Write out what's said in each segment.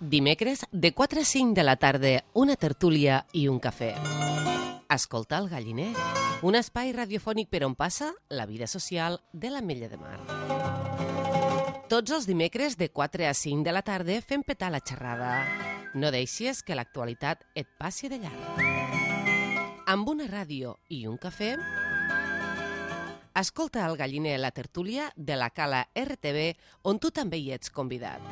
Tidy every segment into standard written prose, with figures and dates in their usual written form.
Dimecres, de 4 a 5 de la tarda, una tertúlia i un cafè. Escolta el Galliner, un espai radiofònic per on passa la vida social de l'Ametlla de Mar. Tots els dimecres, de 4 a 5 de la tarda, fem petar la xerrada. No deixis que l'actualitat et passi de llarg. Amb una ràdio i un cafè, escolta el Galliner, la tertúlia de la Cala RTV, on tu també hi ets convidat.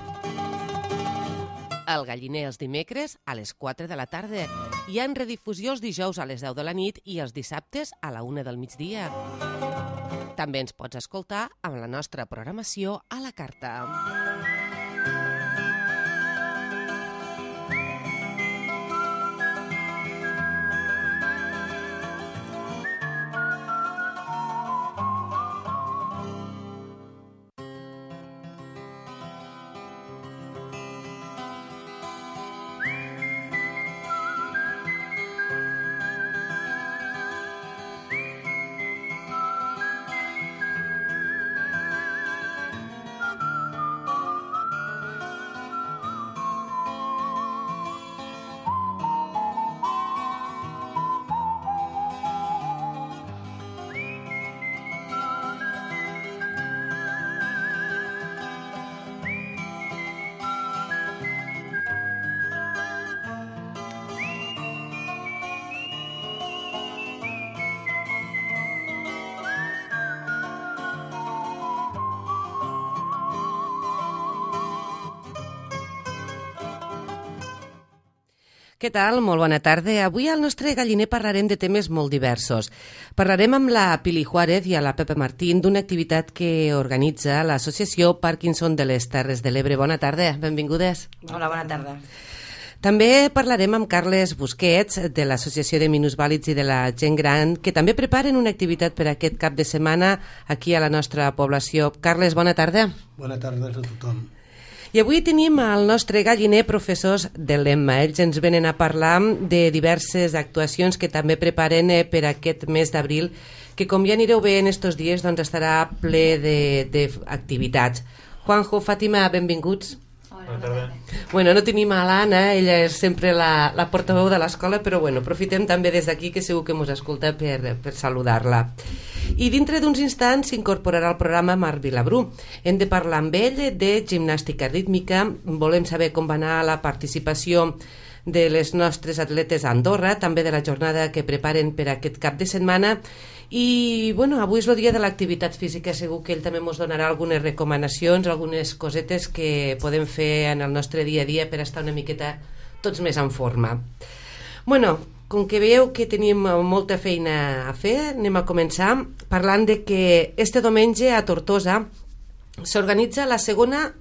El Galliner els dimecres a les 4 de la tarda. Hi ha redifusió els dijous a les 10 de la nit i els dissabtes a la 1 del migdia. També ens pots escoltar amb la nostra programació a la carta. Què tal? Molt bona tarda. Avui al nostre Galliner parlarem de temes molt diversos. Parlarem amb la Pili Juárez i a la Pepa Martín d'una activitat que organitza l'Associació Parkinson de les Terres de l'Ebre. Bona tarda, benvingudes. Hola, bona tarda. També parlarem amb Carles Busquets de l'Associació de Minusvàlids i de la Gent Gran, que també preparen una activitat per aquest cap de setmana aquí a la nostra població. Carles, bona tarda. Bona tarda a tothom. I avui tenim al nostre Galliner professors de l'EMMA. Ells ens venen a parlar de diverses actuacions que també preparen per aquest mes d'abril, que com ja anireu veient estos dies doncs estarà ple d'activitats. Juanjo, Fàtima, benvinguts. Bona tarda. Bueno, no tenim a l'Anna, ella és sempre la portaveu de l'escola, però bueno, aprofitem també des d'aquí que segur que ens escolta per saludar-la. I dintre d'uns instants s'incorporarà al programa Marc Vilabrú. Hem de parlar amb ell de gimnàstica rítmica, volem saber com va anar la participació de les nostres atletes a Andorra, també de la jornada que preparen per aquest cap de setmana. I bueno, avui és el dia de l'activitat física, segur que ell també ens donarà algunes recomanacions, algunes cosetes que podem fer en el nostre dia a dia per estar una miqueta tots més en forma. Bueno, com que veieu que tenim molta feina a fer, anem a començar parlant de que este diumenge a Tortosa s'organitza la segona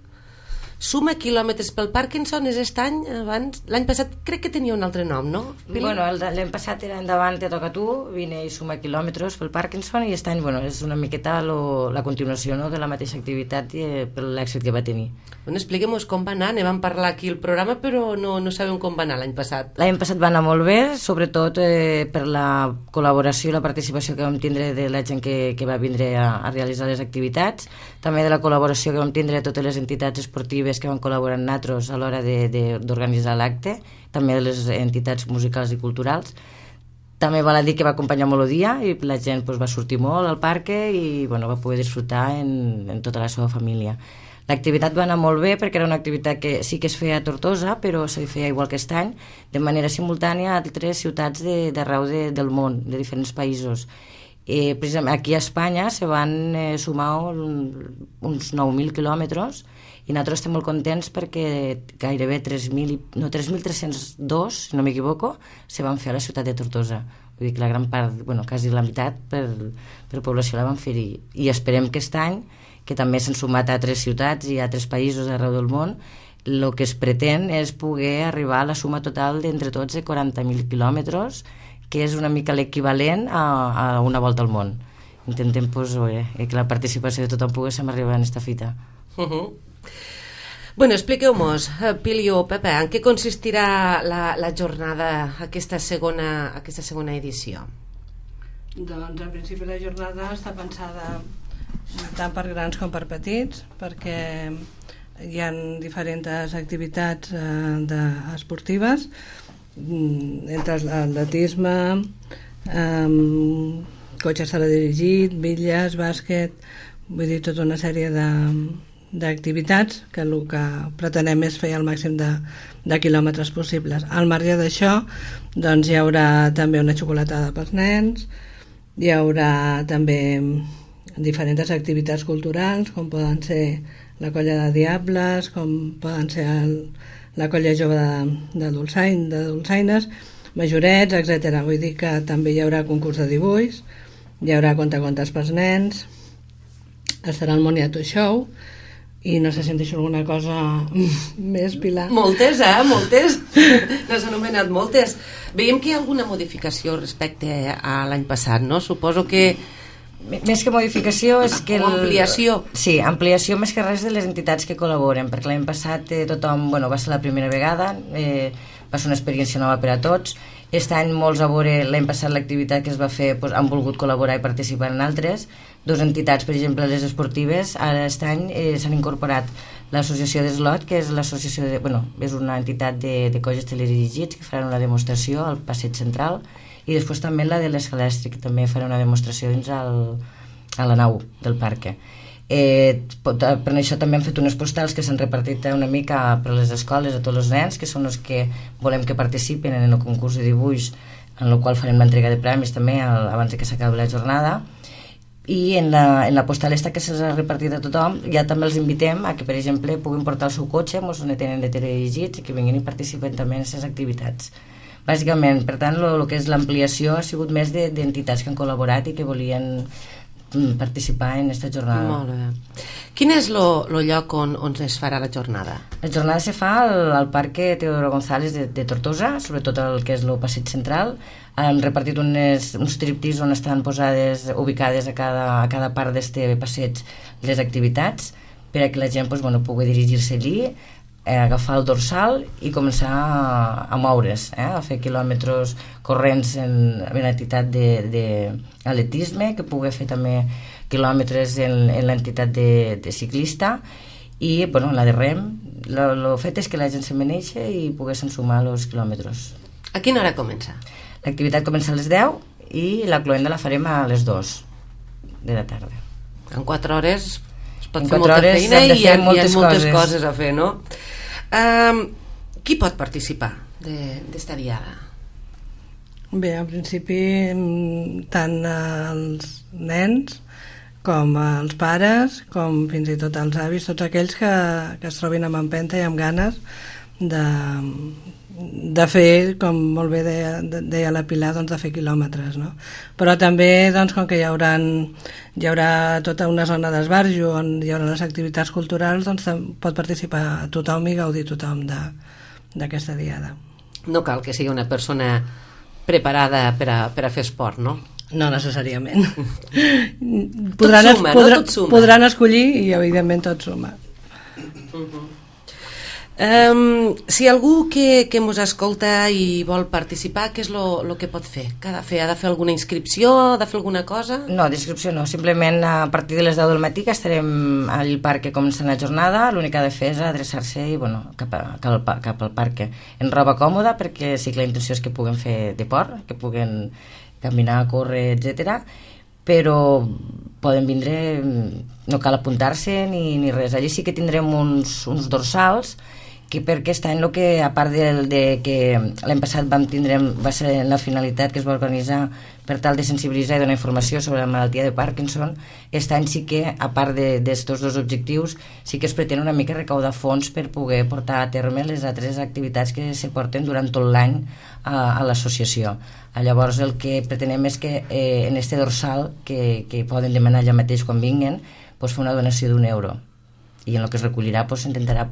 suma quilòmetres pel Parkinson. És aquest any, abans, l'any passat crec que tenia un altre nom, no? Bueno, l'any passat era Endavant te toca a tu, vine i suma quilòmetres pel Parkinson, i aquest any, bueno, és una miqueta la continuació, no?, de la mateixa activitat i per l'èxit que va tenir. Bueno, expliquem-nos com va anar. Ne vam parlar aquí al programa, però no sabem com va anar l'any passat. L'any passat va anar molt bé, sobretot per la col·laboració i la participació que vam tindre de la gent que va vindre a realitzar les activitats, també de la col·laboració que vam tindre de totes les entitats esportives que van col·laborar amb nosaltres a l'hora d'organitzar l'acte, també de les entitats musicals i culturals. També val a dir que va acompanyar molt el dia i la gent va sortir molt al parc i bueno, va poder disfrutar en tota la seva família. L'activitat va anar molt bé perquè era una activitat que sí que es feia a Tortosa, però se feia igual que aquest any, de manera simultània a altres ciutats d'arreu del món, de diferents països. Precisament aquí a Espanya se van sumar uns 9.000 quilòmetres i nosaltres estem molt contents perquè gairebé 3.302, si no m'equivoco, se van fer a la ciutat de Tortosa. Vull dir que la gran part, bueno, quasi la meitat per població la van fer-hi. I esperem que aquest any, que també s'han sumat a altres ciutats i a altres països arreu del món, el que es pretén és poder arribar a la suma total d'entre tots de 40.000 quilòmetres, que és una mica l'equivalent a una volta al món. Intentem que la participació de tothom poguéssim arribar a aquesta fita. Bueno, expliqueu-nos, Pili o Pepe, en què consistirà la jornada, aquesta segona edició? Doncs en principi la jornada està pensada tant per grans com per petits, perquè hi ha diferents activitats esportives, entre l'atletisme, cotxe teledirigit, bitlles, bàsquet, vull dir, tota una sèrie d'activitats que el que pretenem és fer el màxim de quilòmetres possibles. Al marge d'això, doncs hi haurà també una xocolatada pels nens, hi haurà també diferents activitats culturals, com poden ser la colla de diables, com poden ser la colla jove de dolçaines, majorets, etc. Vull dir que també hi haurà concurs de dibuix, hi haurà contacontes pels nens, estarà el Moniato Show, i no sé si em deixo alguna cosa més, Pilar. Moltes, moltes. N'has anomenat moltes. Veiem que hi ha alguna modificació respecte a l'any passat, no? Suposo que... Més que modificació és que... O ampliació. Sí, ampliació més que res de les entitats que col·laboren, perquè l'any passat tothom, va ser la primera vegada, va ser una experiència nova per a tots. Aquest any molts a veure, l'any passat l'activitat que es va fer han volgut col·laborar i participar en altres. Dues entitats, per exemple, les esportives, ara aquest any s'han incorporat l'associació d'Eslot, que és l'associació és una entitat de cotxes teledirigits que faran una demostració al passeig central, i després també la de l'Escalèstric, que també farà una demostració dins a la nau del parc. Per això també hem fet unes postals que s'han repartit una mica per les escoles a tots els nens, que són els que volem que participen en el concurs de dibuix, en el qual farem l'entrega de premis també abans que s'acabi la jornada. I en la postal esta que se'ls ha repartit a tothom, ja també els invitem a que, per exemple, puguin portar el seu cotxe, on tenen de teledirigits, i que vinguin i participen també en aquestes activitats. Bàsicament, per tant, el que és l'ampliació ha sigut més d'entitats que han col·laborat i que volien participar en aquesta jornada. Molt bé. Quin és el lloc on es farà la jornada? La jornada se fa al Parc Teodoro González de Tortosa, sobretot el que és el passeig central. Han repartit uns triptis on estan ubicades a cada part d'este passeig les activitats per a que la gent pugui dirigir-se allí, agafar el dorsal i començar a moure's, a fer quilòmetres corrents en l'entitat d'atletisme, que pugui fer també quilòmetres en l'entitat de ciclista, i la de rem. El fet és que la gent se meneixa i poguessin sumar els quilòmetres. A quina hora comença? L'activitat comença a les 10 i la cloenda la farem a les 2 de la tarda. En 4 hores es pot fer molta feina i hi ha moltes coses a fer, no? Qui pot participar d'esta diada? Bé, en principi tant els nens com els pares, com fins i tot els avis, tots aquells que es trobin amb empenta i amb ganes de fer, com molt bé deia la Pilar, de fer quilòmetres, no? Però també, com que hi haurà tota una zona d'esbarjo on hi haurà les activitats culturals, pot participar tothom i gaudir tothom d'aquesta diada. No cal que sigui una persona preparada per a fer esport, no? No necessàriament. Tot suma. Podran escollir i evidentment tot suma. Si algú que mos escolta i vol participar, què és el que pot fer? Què ha de fer? Ha de fer alguna inscripció? Ha de fer alguna cosa? No, d'inscripció no, simplement a partir de les 10 del matí que estarem al parc començant la jornada. L'únic que ha de fer és adreçar-se cap al parc en roba còmoda, perquè sí que la intenció és que puguen fer deport, que puguen caminar, córrer, etc. Però poden vindre, no cal apuntar-se ni res. Allí sí que tindrem uns dorsals que per aquest any, a part de que l'any passat va ser la finalitat que es va organitzar per tal de sensibilitzar i donar informació sobre la malaltia de Parkinson, aquest any sí que, a part d'estos dos objectius, sí que es pretén una mica recaudar fons per poder portar a terme les altres activitats que se porten durant tot l'any a l'associació. Llavors el que pretenem és que en este dorsal, que poden demanar allà mateix quan vinguen, fer una donació d'€1, i en el que es recollirà s'intentarà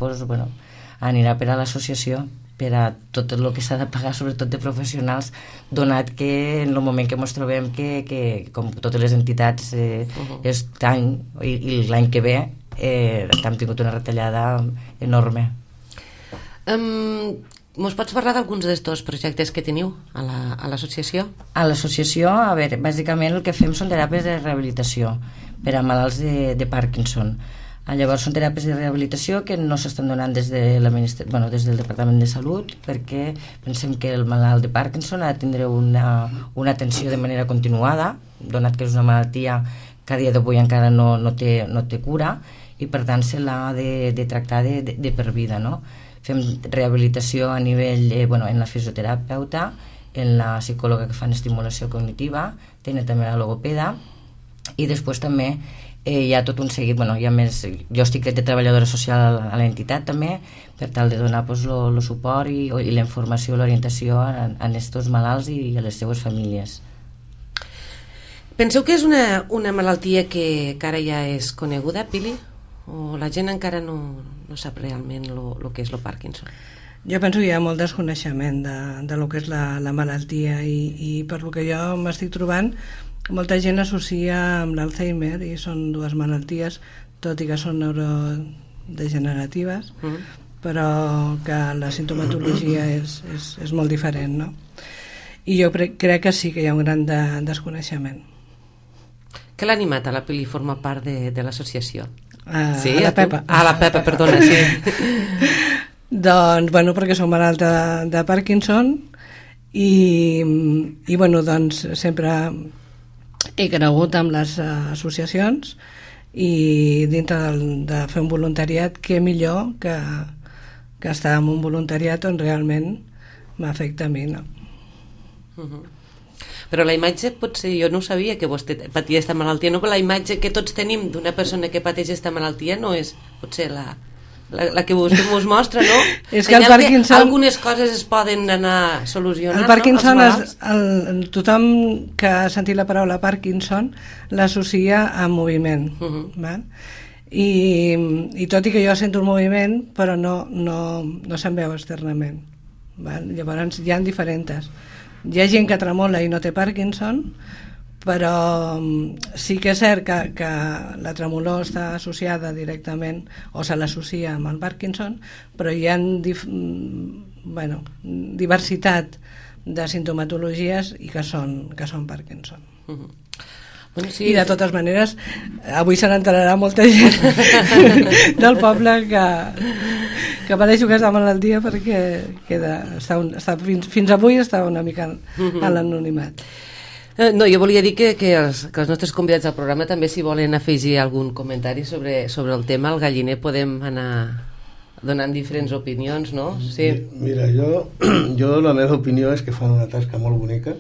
anirà per a l'associació per a tot el que s'ha de pagar, sobretot de professionals, donat que en el moment que ens trobem que com totes les entitats aquest any i l'any que ve hem tingut una retallada enorme. Mos pots parlar d'alguns d'estos projectes que teniu a l'associació? A l'associació, bàsicament el que fem són teràpies de rehabilitació per a malalts de Parkinson. Llavors són teràpies de rehabilitació que no s'estan donant des del Departament de Salut, perquè pensem que el malalt de Parkinson ha de tindre una atenció de manera continuada, donat que és una malaltia que a dia d'avui encara no té cura, i per tant se l'ha de tractar de per vida, no? Fem rehabilitació a nivell en la fisioterapeuta, en la psicòloga que fan estimulació cognitiva, tenen també la logopeda, i després també hi ha tot un seguit, hi ha més, jo estic de treballadora social a l'entitat també, per tal de donar el suport i la informació, l'orientació a aquests malalts i a les seues famílies. Penseu que és una malaltia que ara ja és coneguda, Pili? O la gent encara no sap realment el que és el Parkinson? Jo penso que hi ha molt desconeixement de lo que és la malaltia i per lo que jo m'estic trobant, molta gent associa amb l'Alzheimer i són dues malalties, tot i que són neurodegeneratives, però que la sintomatologia és molt diferent, no? I jo crec que sí que hi ha un gran desconeixement. Què l'ha animat a la Pili formar part de l'associació? Sí, a la Pepa. La Pepa, perdona, sí. Doncs, perquè soc malalta de Parkinson i sempre he cregut amb les associacions i dintre de fer un voluntariat, què millor que estar en un voluntariat on realment m'afecta a mi, no? Però la imatge, potser jo no ho sabia que vostè patia aquesta malaltia, no? Però la imatge que tots tenim d'una persona que pateix aquesta malaltia no és potser la que vostè ens mostra, no? És que el Parkinson... Algunes coses es poden anar solucionant, el Parkinson, no? Tothom que ha sentit la paraula Parkinson l'associa a moviment, val? I tot i que jo sento el moviment, però no se'n veu externament, val? Llavors hi ha diferents. Hi ha gent que tremola i no té Parkinson, però sí que és cert que la tremolor està associada directament o se l'associa amb el Parkinson, però hi ha diversitat de sintomatologies i que són Parkinson. I de totes maneres avui se n'enterarà molta gent del poble que pateixo aquesta malaltia, perquè fins avui estava una mica a l'anonimat. No, jo volia dir que els nostres convidats al programa també, si volen afegir algun comentari sobre el tema, al Galliner podem anar donant diferents opinions, no? Sí. Mira, jo la meva opinió és que fan una tasca molt bonica,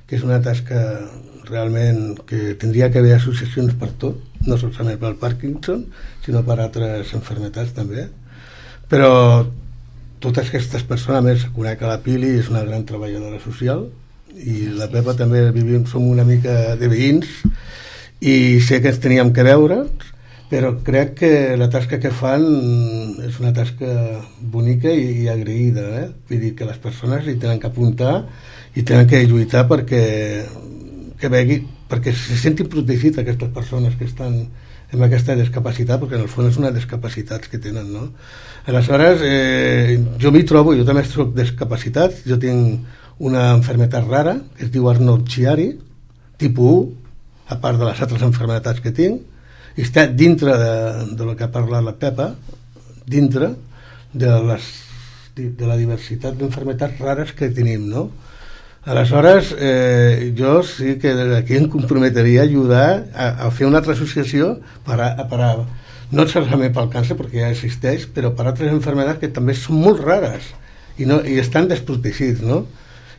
que és una tasca realment que tindria que haver associacions per tot, no solament pel Parkinson, sinó per altres malalties també. Però totes aquestes persones, a més, conec a la Pili, és una gran treballadora social, i la Pepa també som una mica de veïns i sé que ens teníem que veure, però crec que la tasca que fan és una tasca bonica i agraïda, vull dir que les persones hi tenen que apuntar i tenen que lluitar perquè se sentin protegits aquestes persones que estan amb aquesta discapacitat, perquè en el fons és una discapacitat que tenen, no? Aleshores, jo m'hi trobo, jo també soc discapacitat, jo tinc una malaltia rara que es diu Arnold-Chiari, tipus 1, a part de les altres malalties que tinc, i està dintre de lo que ha parlat la Pepa, dintre de la diversitat d'malalties rares que tenim, no? Aleshores, jo sí que aquí em comprometria a ajudar a fer una altra associació no solament pel càncer, perquè ja existeix, però per altres malalties que també són molt rares i estan desprotegits, no?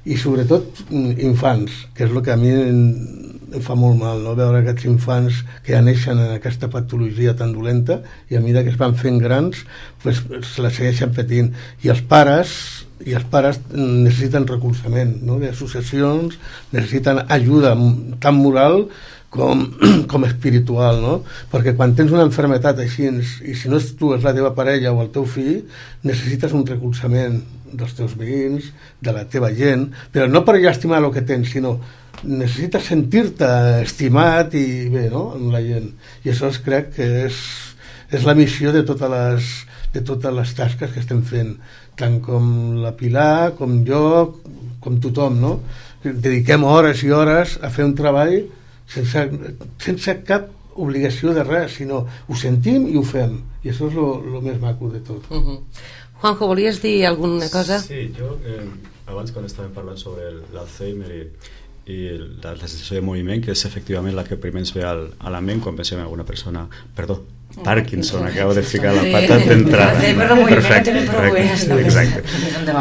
I sobretot infants, que és el que a mi em fa molt mal, no? Veure aquests infants que ja neixen en aquesta patologia tan dolenta i a mesura que es van fent grans pues, se la segueixen patint, i els pares necessiten recolzament, no? D'associacions, necessiten ajuda tant moral com espiritual, no? Perquè quan tens una malaltia així, i si no és tu, és la teva parella o el teu fill, necessites un recolzament dels teus veïns, de la teva gent, però no per estimar el que tens, sinó necessites sentir-te estimat i bé, no?, amb la gent. I això crec que és la missió de totes les tasques que estem fent, tant com la Pilar, com jo, com tothom, no? Dediquem hores i hores a fer un treball sense cap obligació de res, sinó ho sentim i ho fem, i això és lo més maco de tot. Juanjo, volies dir alguna cosa? Sí, jo abans quan estàvem parlant sobre l'Alzheimer i la sensació de moviment, que és efectivament la que primer ens ve a la ment quan pensem en alguna persona, perdó, Parkinson, acabo de ficar la pata d'entrada. Perfecte, exacte.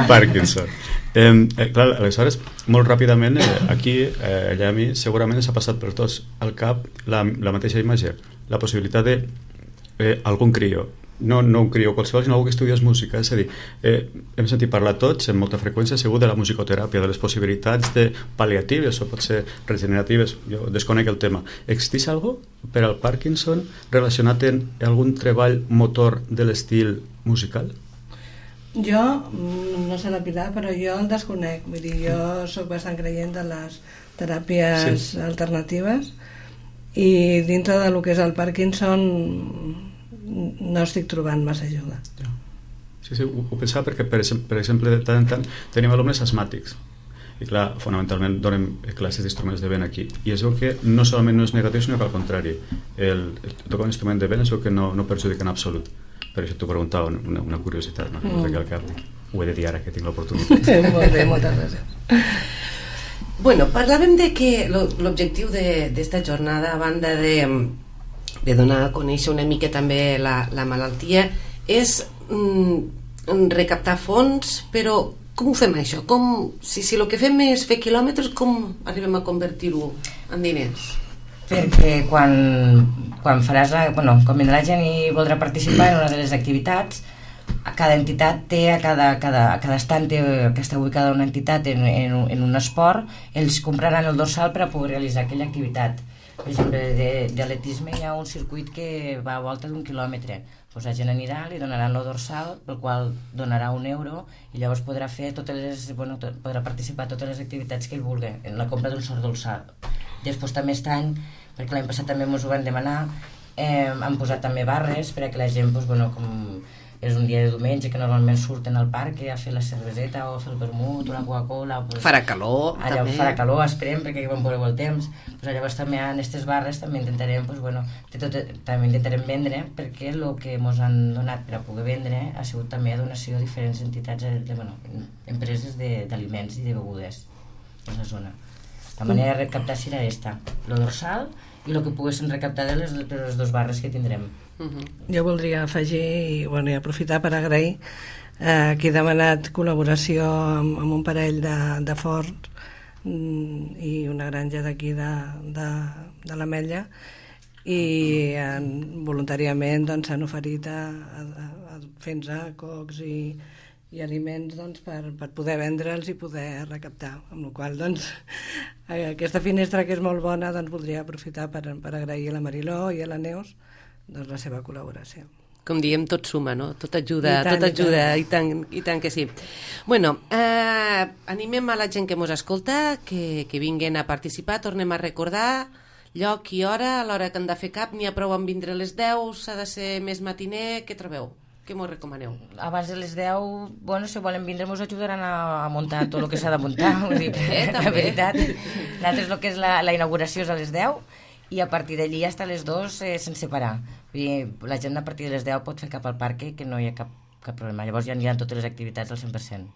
Parkinson. Clar, aleshores, molt ràpidament, aquí, allà a mi, segurament s'ha passat per tots al cap la mateixa imatge, la possibilitat de algun crió, no un crió qualsevol, sinó algú que estudies música, és a dir, hem sentit parlar tots amb molta freqüència segur de la musicoteràpia, de les possibilitats de pal·liatives o potser regeneratives, jo desconec el tema. Existeix algo per al Parkinson relacionat amb algun treball motor de l'estil musical? Jo, no sé la Pilar, però jo el desconec, vull dir, jo sóc bastant creient de les teràpies alternatives i dintre de lo que és el Parkinson no estic trobant massa ajuda. Sí, ho pensava perquè, per exemple, de tant en tant tenim alumnes asmàtics i clar, fonamentalment donem classes d'instruments de vent aquí i es veu que no solament no és negatiu sinó que al contrari, tocar un instrument de vent es veu que no perjudica en absolut. Per això t'ho preguntava, una curiositat, no? Perquè al cap ho he de dir ara que tinc l'oportunitat. Molt bé, moltes gràcies. Bueno, parlàvem de que l'objectiu d'esta jornada, a banda de donar a conèixer una mica també la malaltia, és recaptar fons, però com ho fem això? Si el que fem és fer quilòmetres, com arribem a convertir-ho en diners? Perquè quan faràs quan vindrà la gent i voldrà participar en una de les activitats, cada entitat té, a cada estant que està ubicada una entitat en un esport, ells compraran el dorsal per a poder realitzar aquella activitat. Per exemple, d'atletisme hi ha un circuit que va a volta d'1 quilòmetre. Doncs la gent anirà, li donaran el dorsal, pel qual donarà €1 i llavors podrà fer podrà participar a totes les activitats que ell vulgui en la compra d'un sol dorsal. Després també aquest any, perquè l'any passat també ens ho van demanar, han posat també barres per a que la gent, com és un dia de diumenge que normalment surten al parc a fer la cerveseta o a fer el vermut o la Coca-Cola, farà calor allà també. Farà calor, esperem, perquè quan veureu el temps, llavors també en aquestes barres també intentarem també intentarem vendre, perquè el que ens han donat per a poder vendre ha sigut també donació a diferents entitats, empreses d'aliments i de begudes a la zona. La manera de recaptar serà aquesta, el dorsal i el que poguessin recaptar de les dues barres que tindrem. Jo voldria afegir i aprofitar per agrair qui ha demanat col·laboració amb un parell de Ford i una granja d'aquí de l'Ametlla i voluntàriament s'han oferit a fer-nos cocs i aliments per poder vendre'ls i poder recaptar, amb la qual aquesta finestra que és molt bona voldria aprofitar per agrair a la Mariló i a la Neus la seva col·laboració. Com diem, tot suma, no? Tot ajuda, i tant que sí. Bueno, animem a la gent que mos escolta que vinguen a participar, tornem a recordar lloc i hora, a l'hora que han de fer cap, n'hi ha prou amb vindre a les 10, s'ha de ser més matiner, què trobeu? Què m'ho recomaneu? Abans de les 10, si volen vindre ens ajudaran a muntar tot el que s'ha de muntar, la veritat. Nosaltres el que és la inauguració és a les 10 i a partir d'allí fins a les 2 sense parar. La gent a partir de les 10 pot fer cap al parc, que no hi ha cap problema. Llavors ja aniran totes les activitats al 100%.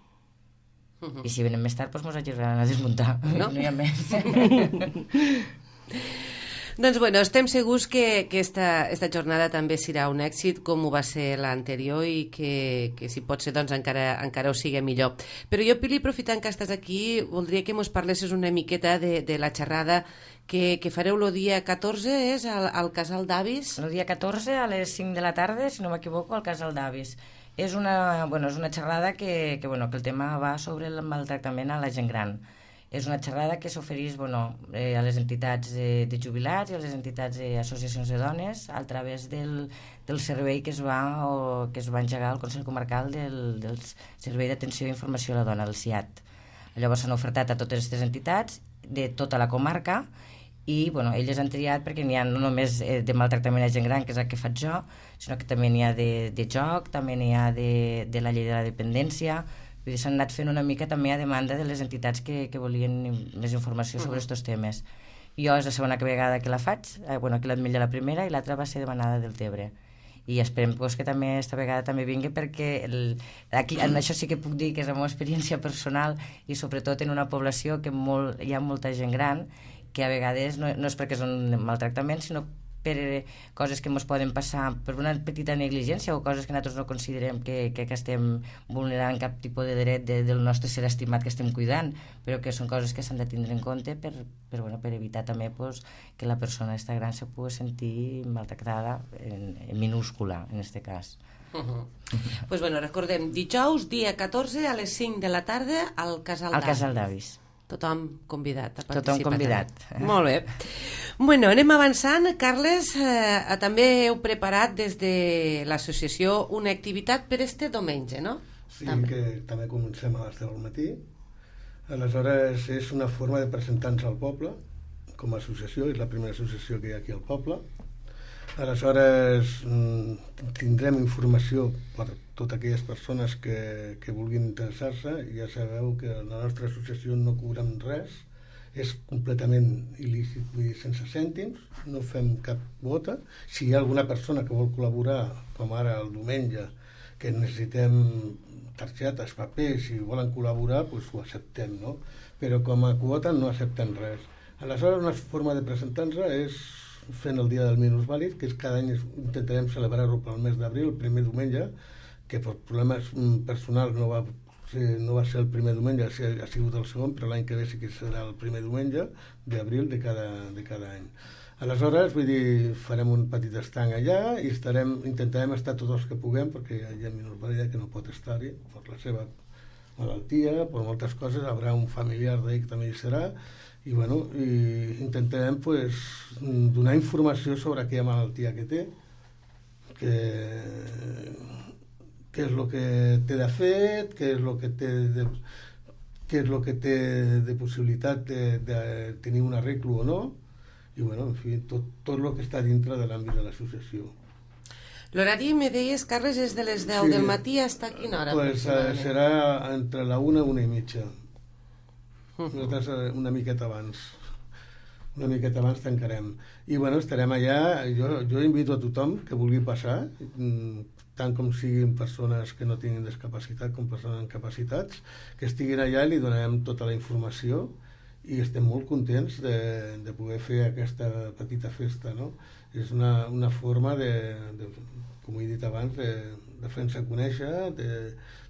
I si venen més tard, ens ajudaran a desmuntar. No hi ha més. Doncs estem segurs que esta jornada també serà un èxit com ho va ser l'anterior i que si pot ser encara ho sigui millor. Però jo, Pili, aprofitant que estàs aquí, voldria que mos parlessis una miqueta de la xerrada que fareu el dia 14, és al Casal d'Avis? El dia 14 a les 5 de la tarda, si no m'equivoco, al Casal d'Avis. És una xerrada que el tema va sobre el maltractament a la gent gran. És una xerrada que s'ofereix a les entitats de jubilats i a les entitats d'associacions de dones a través del servei que es va engegar al Consell Comarcal del Servei d'Atenció i Informació a la Dona, del CIAT. Llavors s'han ofertat a totes aquestes entitats de tota la comarca i elles han triat perquè n'hi ha no només de maltractament a gent gran, que és el que faig jo, sinó que també n'hi ha de joc, també n'hi ha de la llei de la dependència. S'han anat fent una mica també a demanda de les entitats que volien més informació sobre aquests temes. Jo és la segona vegada que la faig, que l'Ametlla la primera i l'altra va ser demanada del Tebre. I esperem que també esta vegada també vingui, perquè aquí, en això sí que puc dir que és la meva experiència personal, i sobretot en una població que hi ha molta gent gran, que a vegades no és perquè és un maltractament, sinó per coses que ens poden passar per una petita negligència o coses que nosaltres no considerem que estem vulnerant cap tipus de dret del nostre ser estimat que estem cuidant, però que són coses que s'han de tindre en compte per evitar també que la persona esta gran se pugui sentir maltractada en minúscula, en este cas. Pues recordem, dijous, dia 14, a les 5 de la tarda, al Casal d'Avis. Al Casal d'Avis. Tothom convidat a participar. Tothom convidat. Molt bé. Bueno, anem avançant. Carles, també heu preparat des de l'associació una activitat per este diumenge, no? Sí, que també comencem a les 10 del matí. Aleshores, és una forma de presentar-nos al poble com a associació, és la primera associació que hi ha aquí al poble. Aleshores, tindrem informació per totes aquelles persones que vulguin interessar-se. Ja sabeu que la nostra associació no cobrem res, és completament il·lícit, vull dir, sense cèntims, no fem cap quota. Si hi ha alguna persona que vol col·laborar, com ara el diumenge, que necessitem targetes, papers, si volen col·laborar, doncs ho acceptem, no? Però com a quota no acceptem res. Aleshores, una forma de presentar-nos és fent el dia del minusvàlid, que és cada any intentarem celebrar-ho pel mes d'abril, el primer diumenge, que per problemes personals no va ser el primer diumenge, ha sigut el segon, però l'any que ve sí que serà el primer diumenge d'abril de cada any. Aleshores, vull dir, farem un petit estanc allà i intentarem estar tots els que puguem, perquè hi ha minusvàlida que no pot estar-hi per la seva malaltia, per moltes coses, hi haurà un familiar d'ell que també hi serà, i intentarem donar informació sobre aquella malaltia que té, què és el que té de fet, què és el que té de possibilitat de tenir un arreglo o no, i en fi, tot el que està dintre de l'àmbit de l'associació. L'horari, me deies, Carles, és de les 10 del matí fins a quina hora? Serà entre la 1 i 1 i mitja. Nosaltres una miqueta abans tancarem i estarem allà. Jo invito a tothom que vulgui passar, tant com siguin persones que no tinguin discapacitat com persones amb capacitats, que estiguin allà i li donarem tota la informació, i estem molt contents de poder fer aquesta petita festa, no? És una forma com he dit abans, de fer-nos conèixer,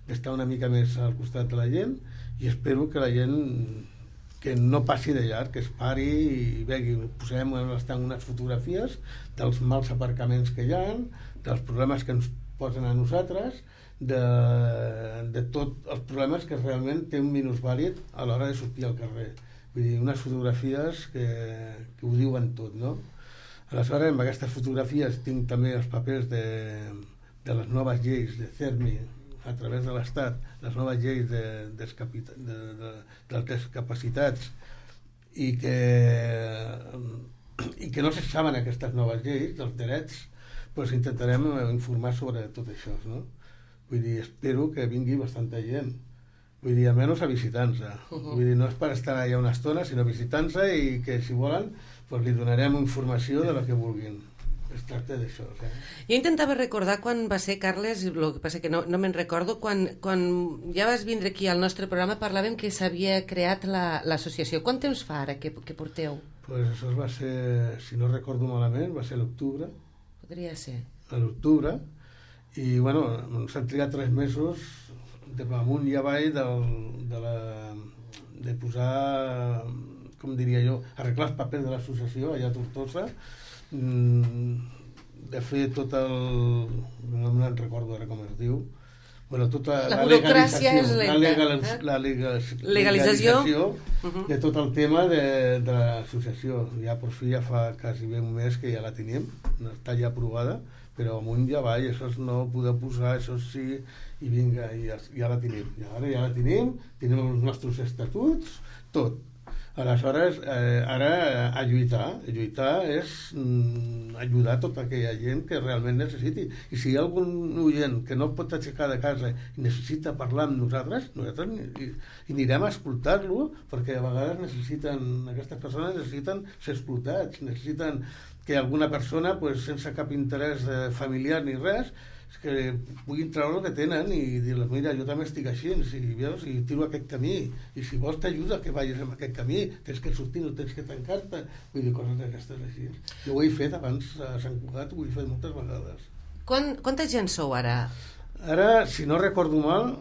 d'estar una mica més al costat de la gent, i espero que la gent que no passi de llarg, que es pari i vegi, posem unes fotografies dels mals aparcaments que hi ha, dels problemes que ens posen a nosaltres, de tots els problemes que realment té un minusvàlid a l'hora de sortir al carrer. Vull dir, unes fotografies que ho diuen tot, no? Aleshores, amb aquestes fotografies tinc també els papers de les noves lleis de CERMI a través de l'Estat, les noves lleis de les discapacitats, i que no se saben aquestes noves lleis dels drets, doncs intentarem informar sobre tot això, no? Vull dir, espero que vingui bastanta gent, vull dir, almenys a visitar-nos. Vull dir, no és per estar allà una estona, sinó visitar-nos, i que si volen doncs li donarem informació de la que vulguin. Es tracta d'això. Jo intentava recordar quan va ser, Carles, el que passa que no me'n recordo, quan ja vas vindre aquí al nostre programa parlàvem que s'havia creat l'associació. Quant temps fa ara que porteu? Doncs això va ser, si no recordo malament, va ser l'octubre. Podria ser. A l'octubre, i s'han trigat 3 mesos amunt i avall de posar, com diria jo, arreglar els papers de l'associació allà a Tortosa, de fer tot no me'n recordo ara com es diu, tota la burocràcia és lenta, la legalització de tot el tema de l'associació. Ja per fi ja fa quasi bé un mes que ja la tenim, està ja aprovada, però amunt i avall, això no poder posar, això sí, i vinga, ja la tenim. I ara ja la tenim els nostres estatuts, tot. Aleshores, ara a lluitar és ajudar tota aquella gent que realment necessiti. I si hi ha algun oient que no pot aixecar de casa i necessita parlar amb nosaltres hi anirem a escoltar-lo, perquè a vegades aquestes persones necessiten ser escoltats, necessiten que alguna persona, pues, sense cap interès familiar ni res, que puguin treure el que tenen i dir-los, mira, jo també estic així, i tiro aquest camí, i si vols t'ajuda que vagis en aquest camí, tens que sortir, no tens que tancar-te, vull dir, coses d'aquestes així. Jo ho he fet abans a Sant Cugat, ho he fet moltes vegades. Quanta gent sou ara? Ara, si no recordo mal,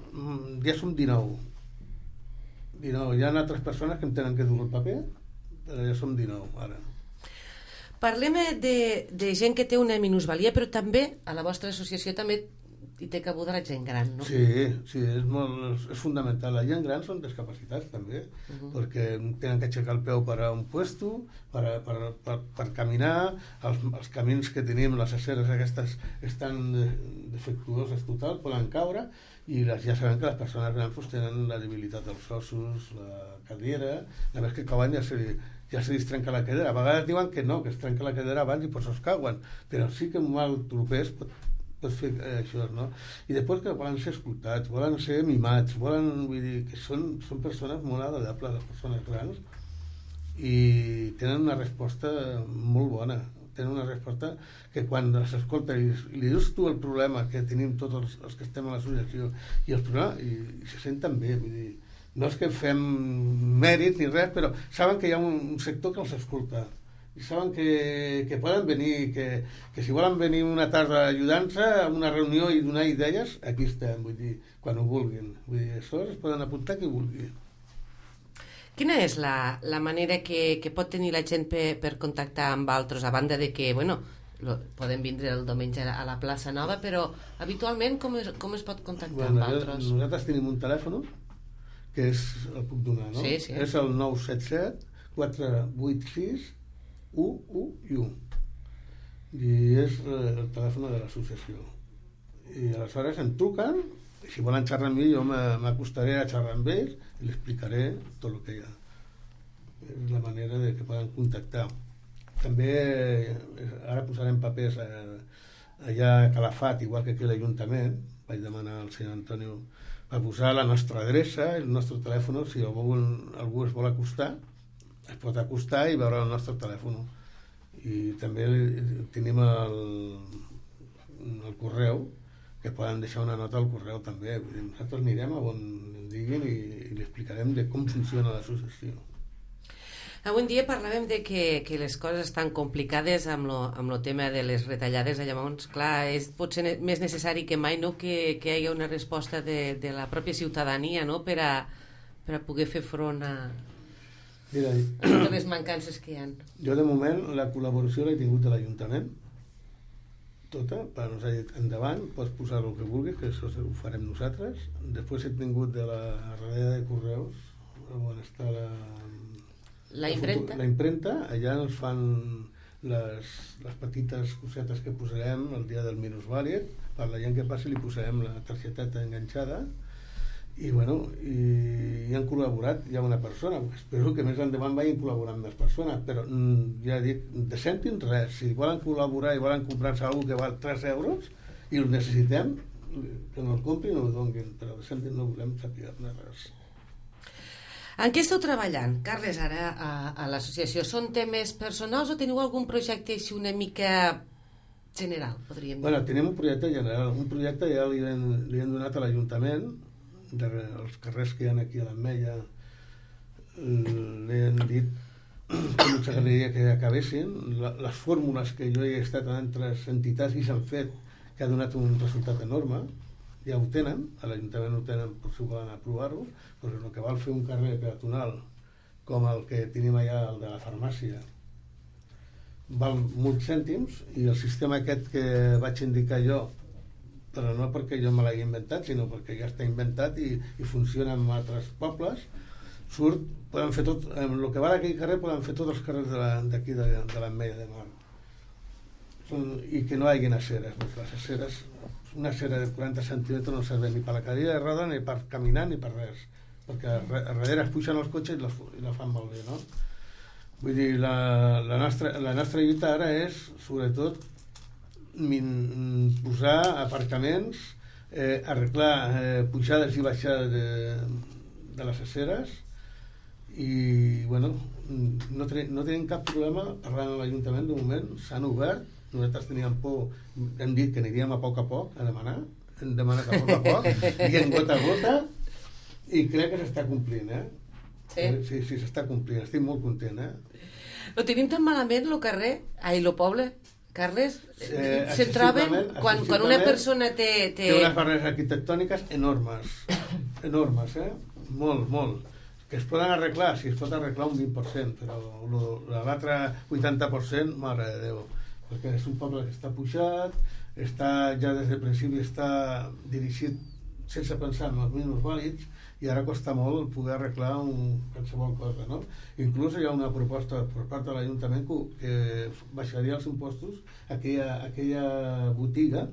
ja som 19. Hi ha altres persones que em tenen que dur el paper, però ja som 19 ara. Parlem de gent que té una minusvalia, però també a la vostra associació també hi té cabuda la gent gran, no? Sí, és fundamental. La gent gran són discapacitats també, perquè tenen que aixecar el peu per a un puesto, per caminar, els camins que tenim, les aceres aquestes estan defectuoses total, poden caure, i ja sabem que les persones grans tenen la debilitat dels ossos, la cadera, la vegada que cauen ja se li trenca la cadera. A vegades diuen que no, que es trenca la cadera abans i per això es cauen, però sí que un mal tropés pot fer això, no? I després que volen ser escoltats, volen ser mimats, vull dir que són persones molt agradables, les persones grans, i tenen una resposta molt bona, tenen una resposta que quan s'escolta i li dius tu el problema que tenim tots els que estem a l'associació i els problemes, i se senten bé, vull dir, no és que fem mèrit ni res, però saben que hi ha un sector que els escolta i saben que poden venir, que si volen venir una tarda ajudant-se a una reunió i donar idees, aquí estem, vull dir, quan ho vulguin, vull dir, això es poden apuntar qui vulgui. Quina és la manera que pot tenir la gent per contactar amb altres, a banda de que, bueno, podem vindre el diumenge a la plaça Nova, però habitualment com es pot contactar amb altres? Nosaltres tenim un telèfon que el puc donar, no? Sí. És el 977 486 111 i és el telèfon de l'associació, i aleshores em truquen i si volen xerrar amb mi jo m'acostaré a xerrar amb ells i li explicaré tot el que hi ha. És la manera de que poden contactar. També ara posarem papers allà a Calafat, igual que aquí a l'Ajuntament. Vaig demanar al senyor Antonio per posar la nostra adreça, el nostre telèfon, si algú es vol acostar, es pot acostar i veure el nostre telèfon. I també tenim el correu, que poden deixar una nota al correu també. Nosaltres anirem a on em diguin i li explicarem de com funciona l'associació. Avui en dia parlàvem de que les coses estan complicades amb el tema de les retallades, llavors, clar, és potser més necessari que mai, no?, que hi hagi una resposta de la pròpia ciutadania, no?, per a poder fer front a totes les mancances que hi ha. Jo, de moment, la col·laboració l'he tingut de l'Ajuntament, tota, per nos ha dit endavant, pots posar el que vulguis, que això ho farem nosaltres. Després he tingut de la darrere de Correus, on està la impremta, allà ens fan les petites cosetes que posarem el dia del minusvàlid, per la gent que passi li posarem la targeteta enganxada, i bueno, i han col·laborat ja una persona. Espero que més endavant vagin col·laborant més persones, però ja dic, de cèntims res. Si volen col·laborar i volen comprar-se alguna que val 3 euros i el necessitem, que no el comprin o el donguin, però de cèntims no volem saber res. En què esteu treballant, Carles, ara a l'associació? Són temes personals o teniu algun projecte així una mica general, podríem dir? Bueno, tenim un projecte general. Un projecte ja li hem donat a l'Ajuntament, els carrers que hi ha aquí a l'Ametlla, li hem dit que ens agradaria que acabessin. Les fórmules que jo he estat en altres entitats i s'han fet, que ha donat un resultat enorme, ja ho tenen, a l'Ajuntament ho tenen per si volen aprovar-ho, però el que val fer un carrer peatonal com el que tenim allà, el de la farmàcia, val molts cèntims, i el sistema aquest que vaig indicar jo, però no perquè jo me l'hagi inventat, sinó perquè ja està inventat i funciona en altres pobles, poden fer tot, amb el que va d'aquell carrer poden fer tots els carrers d'aquí de l'Ametlla de Mar, i que no hi hagi aceres. Les aceres, una acera de 40 centímetres no serveix ni per la cadira de roda, ni per caminar, ni per res. perquè a darrere es puixen els cotxes i la fan malbé, no? Vull dir, la nostra lluita ara és, sobretot, posar aparcaments, arreglar pujades i baixades de les aceres, i bueno, no tenim cap problema parlant amb l'Ajuntament. De moment s'han obert, nosaltres teníem por, hem dit que aniríem a poc a demanar, hem demanat a poc dient gota a gota, i crec que s'està complint, sí, s'està complint, estic molt content, Ho tenim tan malament el carrer, el poble, Carles, se'n troben quan una persona té unes barreres arquitectòniques enormes, molt, que es poden arreglar, si es pot arreglar un 20%, però l'altre 80%, mare de Déu, perquè és un poble que està pujat, ja des del principi està dirigit sense pensar en els minusvàlids, i ara costa molt poder arreglar qualsevol cosa, no? Inclús hi ha una proposta per part de l'Ajuntament que baixaria els impostos a aquella botiga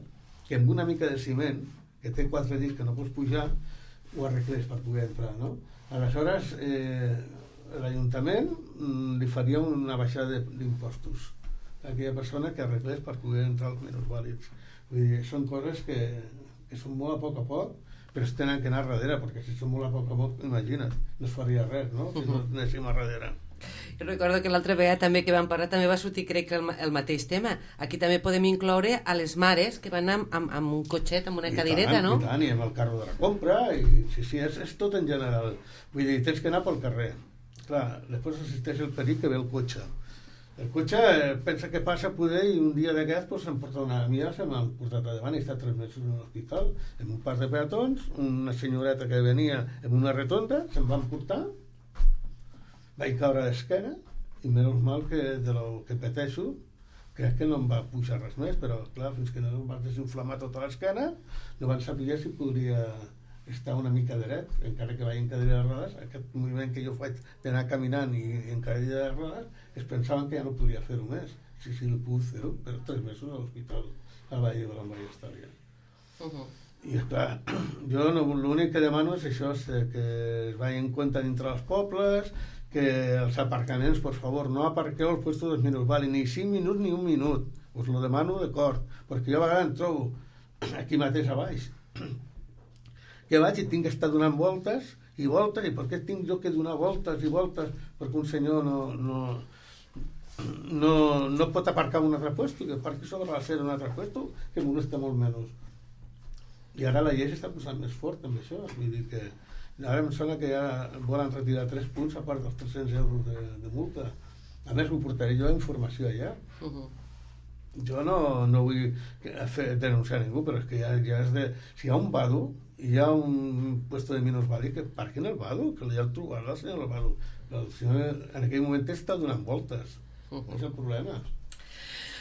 que amb una mica de ciment, que té 4 dits que no pots pujar, ho arreglés per poder entrar, no? Aleshores, l'Ajuntament li faria una baixada d'impostos a aquella persona que arreglés per poder entrar als minusvàlids. Vull dir, són coses que són molt a poc, però es tenen que anar a darrere, perquè si són molt a poc, imagina't, no es faria res, no? Si no anéssim a darrere. Jo recordo que l'altra vegada també que vam parlar també va sortir, crec que el mateix tema. Aquí també podem incloure a les mares que van amb un cotxet, amb una cadireta, no? I tant, i amb el carro de la compra, i sí, és tot en general. Vull dir, tens que anar pel carrer. Clar, després assisteix el perill que ve el cotxe. El cotxe pensa que passa poder, i un dia d'aquest se'm porta una amiga, se m'han portat a davant, i està 3 mesos en l'hospital amb un pas de peatons, una senyoreta que venia amb una retonda, se'm van portar, vaig caure d'esquena, i menys mal que de lo que pateixo crec que no em va pujar res més, però clar, fins que no em va desinflamar tota l'esquena no van saber si podria estar una mica dret, encara que vaig en cadira de rodes. Aquest moviment que jo faig d'anar caminant i en cadira de rodes, es pensaven que ja no podia fer-ho més. Sí, el puc fer-ho, però 3 mesos a l'hospital al Valle de la Maria Història. I esclar, jo l'únic que demano és això, que es vagi en compte dintre dels pobles, que els aparcaments, per favor, no aparqueu els puestos dels minusvàlids, ni 5 minuts ni 1 minut, us lo demano d'acord, perquè jo a vegades em trobo aquí mateix a baix que vaig i tinc que estar donant voltes i voltes, i per què tinc jo que donar voltes i voltes perquè un senyor no pot aparcar un altre puesto, que aparqui sobre l'acera un altre puesto, que molesta molt menys. I ara la llei s'està posant més fort amb això, vull dir que ara em sembla que ja volen retirar 3 punts a part dels 300 euros de multa. A més, ho portaré jo a informació allà. Jo no vull denunciar ningú, però és que ja és de... Si hi ha un vado, hi ha un puesto de minusvàlid, que parquin el vado, que ja el trobarà el senyor el vado. El senyor en aquell moment està donant voltes. És el problema.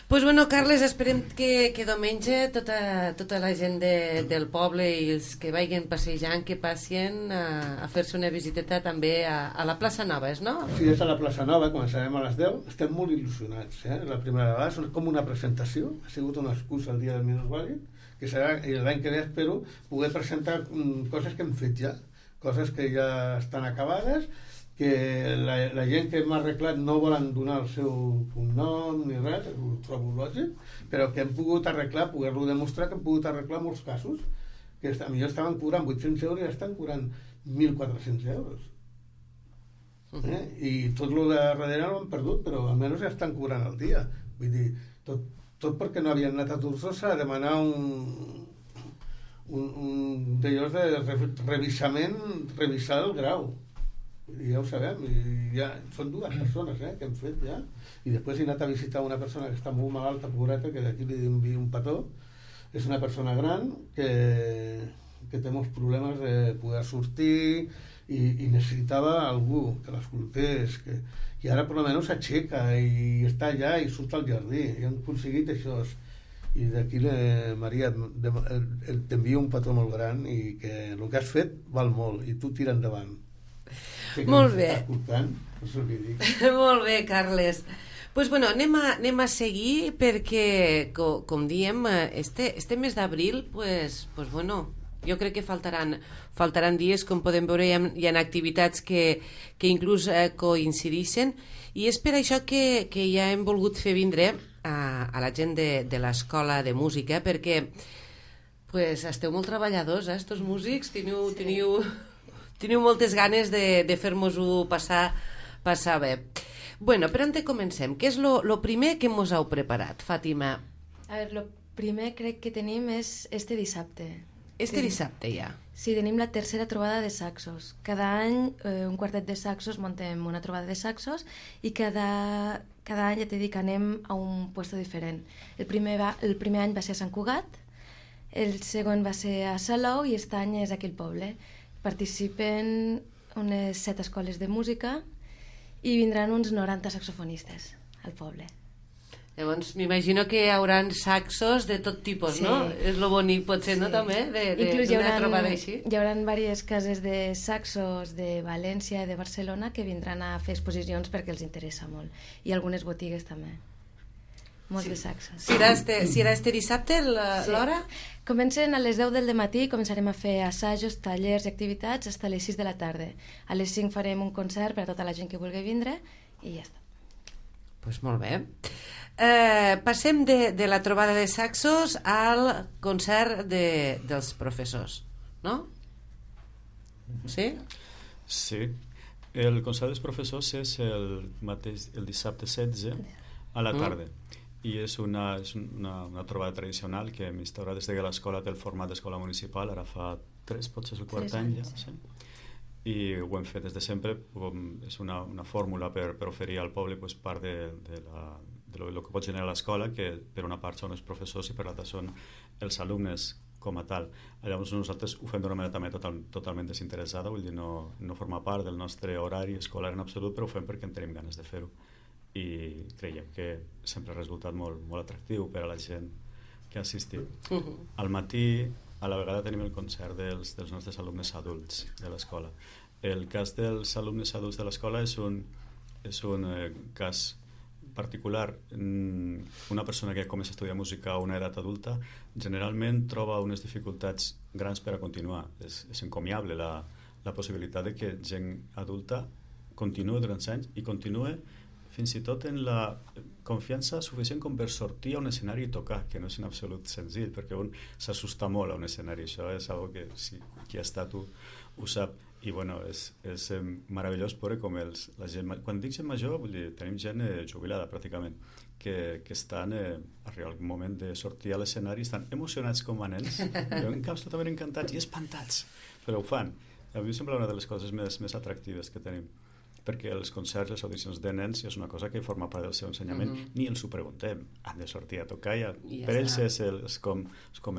Pues bueno, Carles, esperem que diumenge tota la gent del poble i els que vagin passejant, que passin a fer-se una visiteta també a la plaça Nova, no? Sí, és a la plaça Nova, començarem a les 10. Estem molt il·lusionats, la primera vegada, és com una presentació, ha sigut una excusa el dia del minusvàlid, que serà l'any que ve, espero poder presentar coses que hem fet ja, coses que ja estan acabades, que la gent que m'ha arreglat no volen donar el seu cognom ni res, ho trobo lògic, però que hem pogut arreglar, poder-lo demostrar que hem pogut arreglar molts casos, que millor estaven cobrant 800 euros i ja estan cobrant 1.400 euros. I tot el de darrere no ho han perdut, però almenys ja estan cobrant el dia. Vull dir, tot perquè no havien anat a Tortosa a demanar un d'allòs de revisar el grau. I ja ho sabem, i ja són 2 persones que hem fet ja, i després he anat a visitar una persona que està molt malalta, pobreta, que d'aquí li envio un petó. És una persona gran que té molts problemes de poder sortir i necessitava algú que l'escoltés, i ara per almenys s'aixeca i està allà i surt al jardí, i han aconseguit això. I d'aquí, Maria, t'envio un petó molt gran, i que el que has fet val molt, i tu tira endavant. Molt bé. Molt bé, Carles. Pues bueno, anem a seguir perquè, com diem, este mes d'abril, pues bueno, Jo crec que faltaran dies, com podem veure, hi ha activitats que inclús coincideixen, i és per això que ja hem volgut fer vindre a la gent de l'escola de música, perquè pues, esteu molt treballadors, estos músics, teniu moltes ganes de fer-nos-ho passar bé. Bueno, per on comencem? Què és lo primer que mos heu preparat, Fàtima? A veure, lo primer crec que tenim és este dissabte. Dissabte ja? Sí, tenim la tercera trobada de saxos. Cada any un quartet de saxos montem una trobada de saxos i cada any, ja t'he dit, anem a un puesto diferent. El primer any va ser a Sant Cugat, el segon va ser a Salou i aquest any és aquí al poble. Participen unes 7 escoles de música i vindran uns 90 saxofonistes al poble. Llavors m'imagino que hi haurà saxos de tot tipus, sí. No? És lo bonic potser, sí. No, també? D'una trobada així. Hi haurà diverses cases de saxos de València i de Barcelona que vindran a fer exposicions perquè els interessa molt. I algunes botigues també. Molts de saxos. Si era este dissabte, l'hora? Sí. Comencen a les 10 del matí, començarem a fer assajos, tallers i activitats fins a les 6 de la tarda. A les 5 farem un concert per a tota la gent que vulgui vindre i ja està. Pues molt bé. Passem de la trobada de saxos al concert dels professors, no? Sí? Sí. El concert dels professors és el dissabte 16 a la tarda. I és una trobada tradicional que hem instaurat des que l'escola té el format d'escola municipal, ara fa 3, potser és el quart any ja, sí. I ho hem fet des de sempre. És una fórmula per oferir al poble part de lo que pot generar l'escola, que per una part són els professors i per l'altra són els alumnes com a tal. Llavors nosaltres ho fem d'una manera també totalment desinteressada, vull dir, no forma part del nostre horari escolar en absolut, però ho fem perquè en tenim ganes de fer-ho i creiem que sempre ha resultat molt, molt atractiu per a la gent que ha assistit. Al matí a la vegada tenim el concert dels nostres alumnes adults de l'escola. El cas dels alumnes adults de l'escola és un cas particular. Una persona que comença a estudiar música a una edat adulta generalment troba unes dificultats grans per a continuar. És encomiable la possibilitat de que gent adulta continuï durant anys i continuï fins i tot en la confiança suficient com per sortir a un escenari i tocar, que no és en absolut senzill, perquè un s'assusta molt a un escenari. Això és algo que qui ha estat ho sap. I bueno, és meravellós veure com la gent... Quan dic gent major, vull dir, tenim gent jubilada pràcticament, que estan arriba el moment de sortir a l'escenari, estan emocionats com a nens, però en caps totalment encantats i espantats, però ho fan. A mi em sembla una de les coses més atractives que tenim, perquè els concerts, les audicions de nens és una cosa que forma part del seu ensenyament, ni els ho preguntem, han de sortir a tocar i per ells és com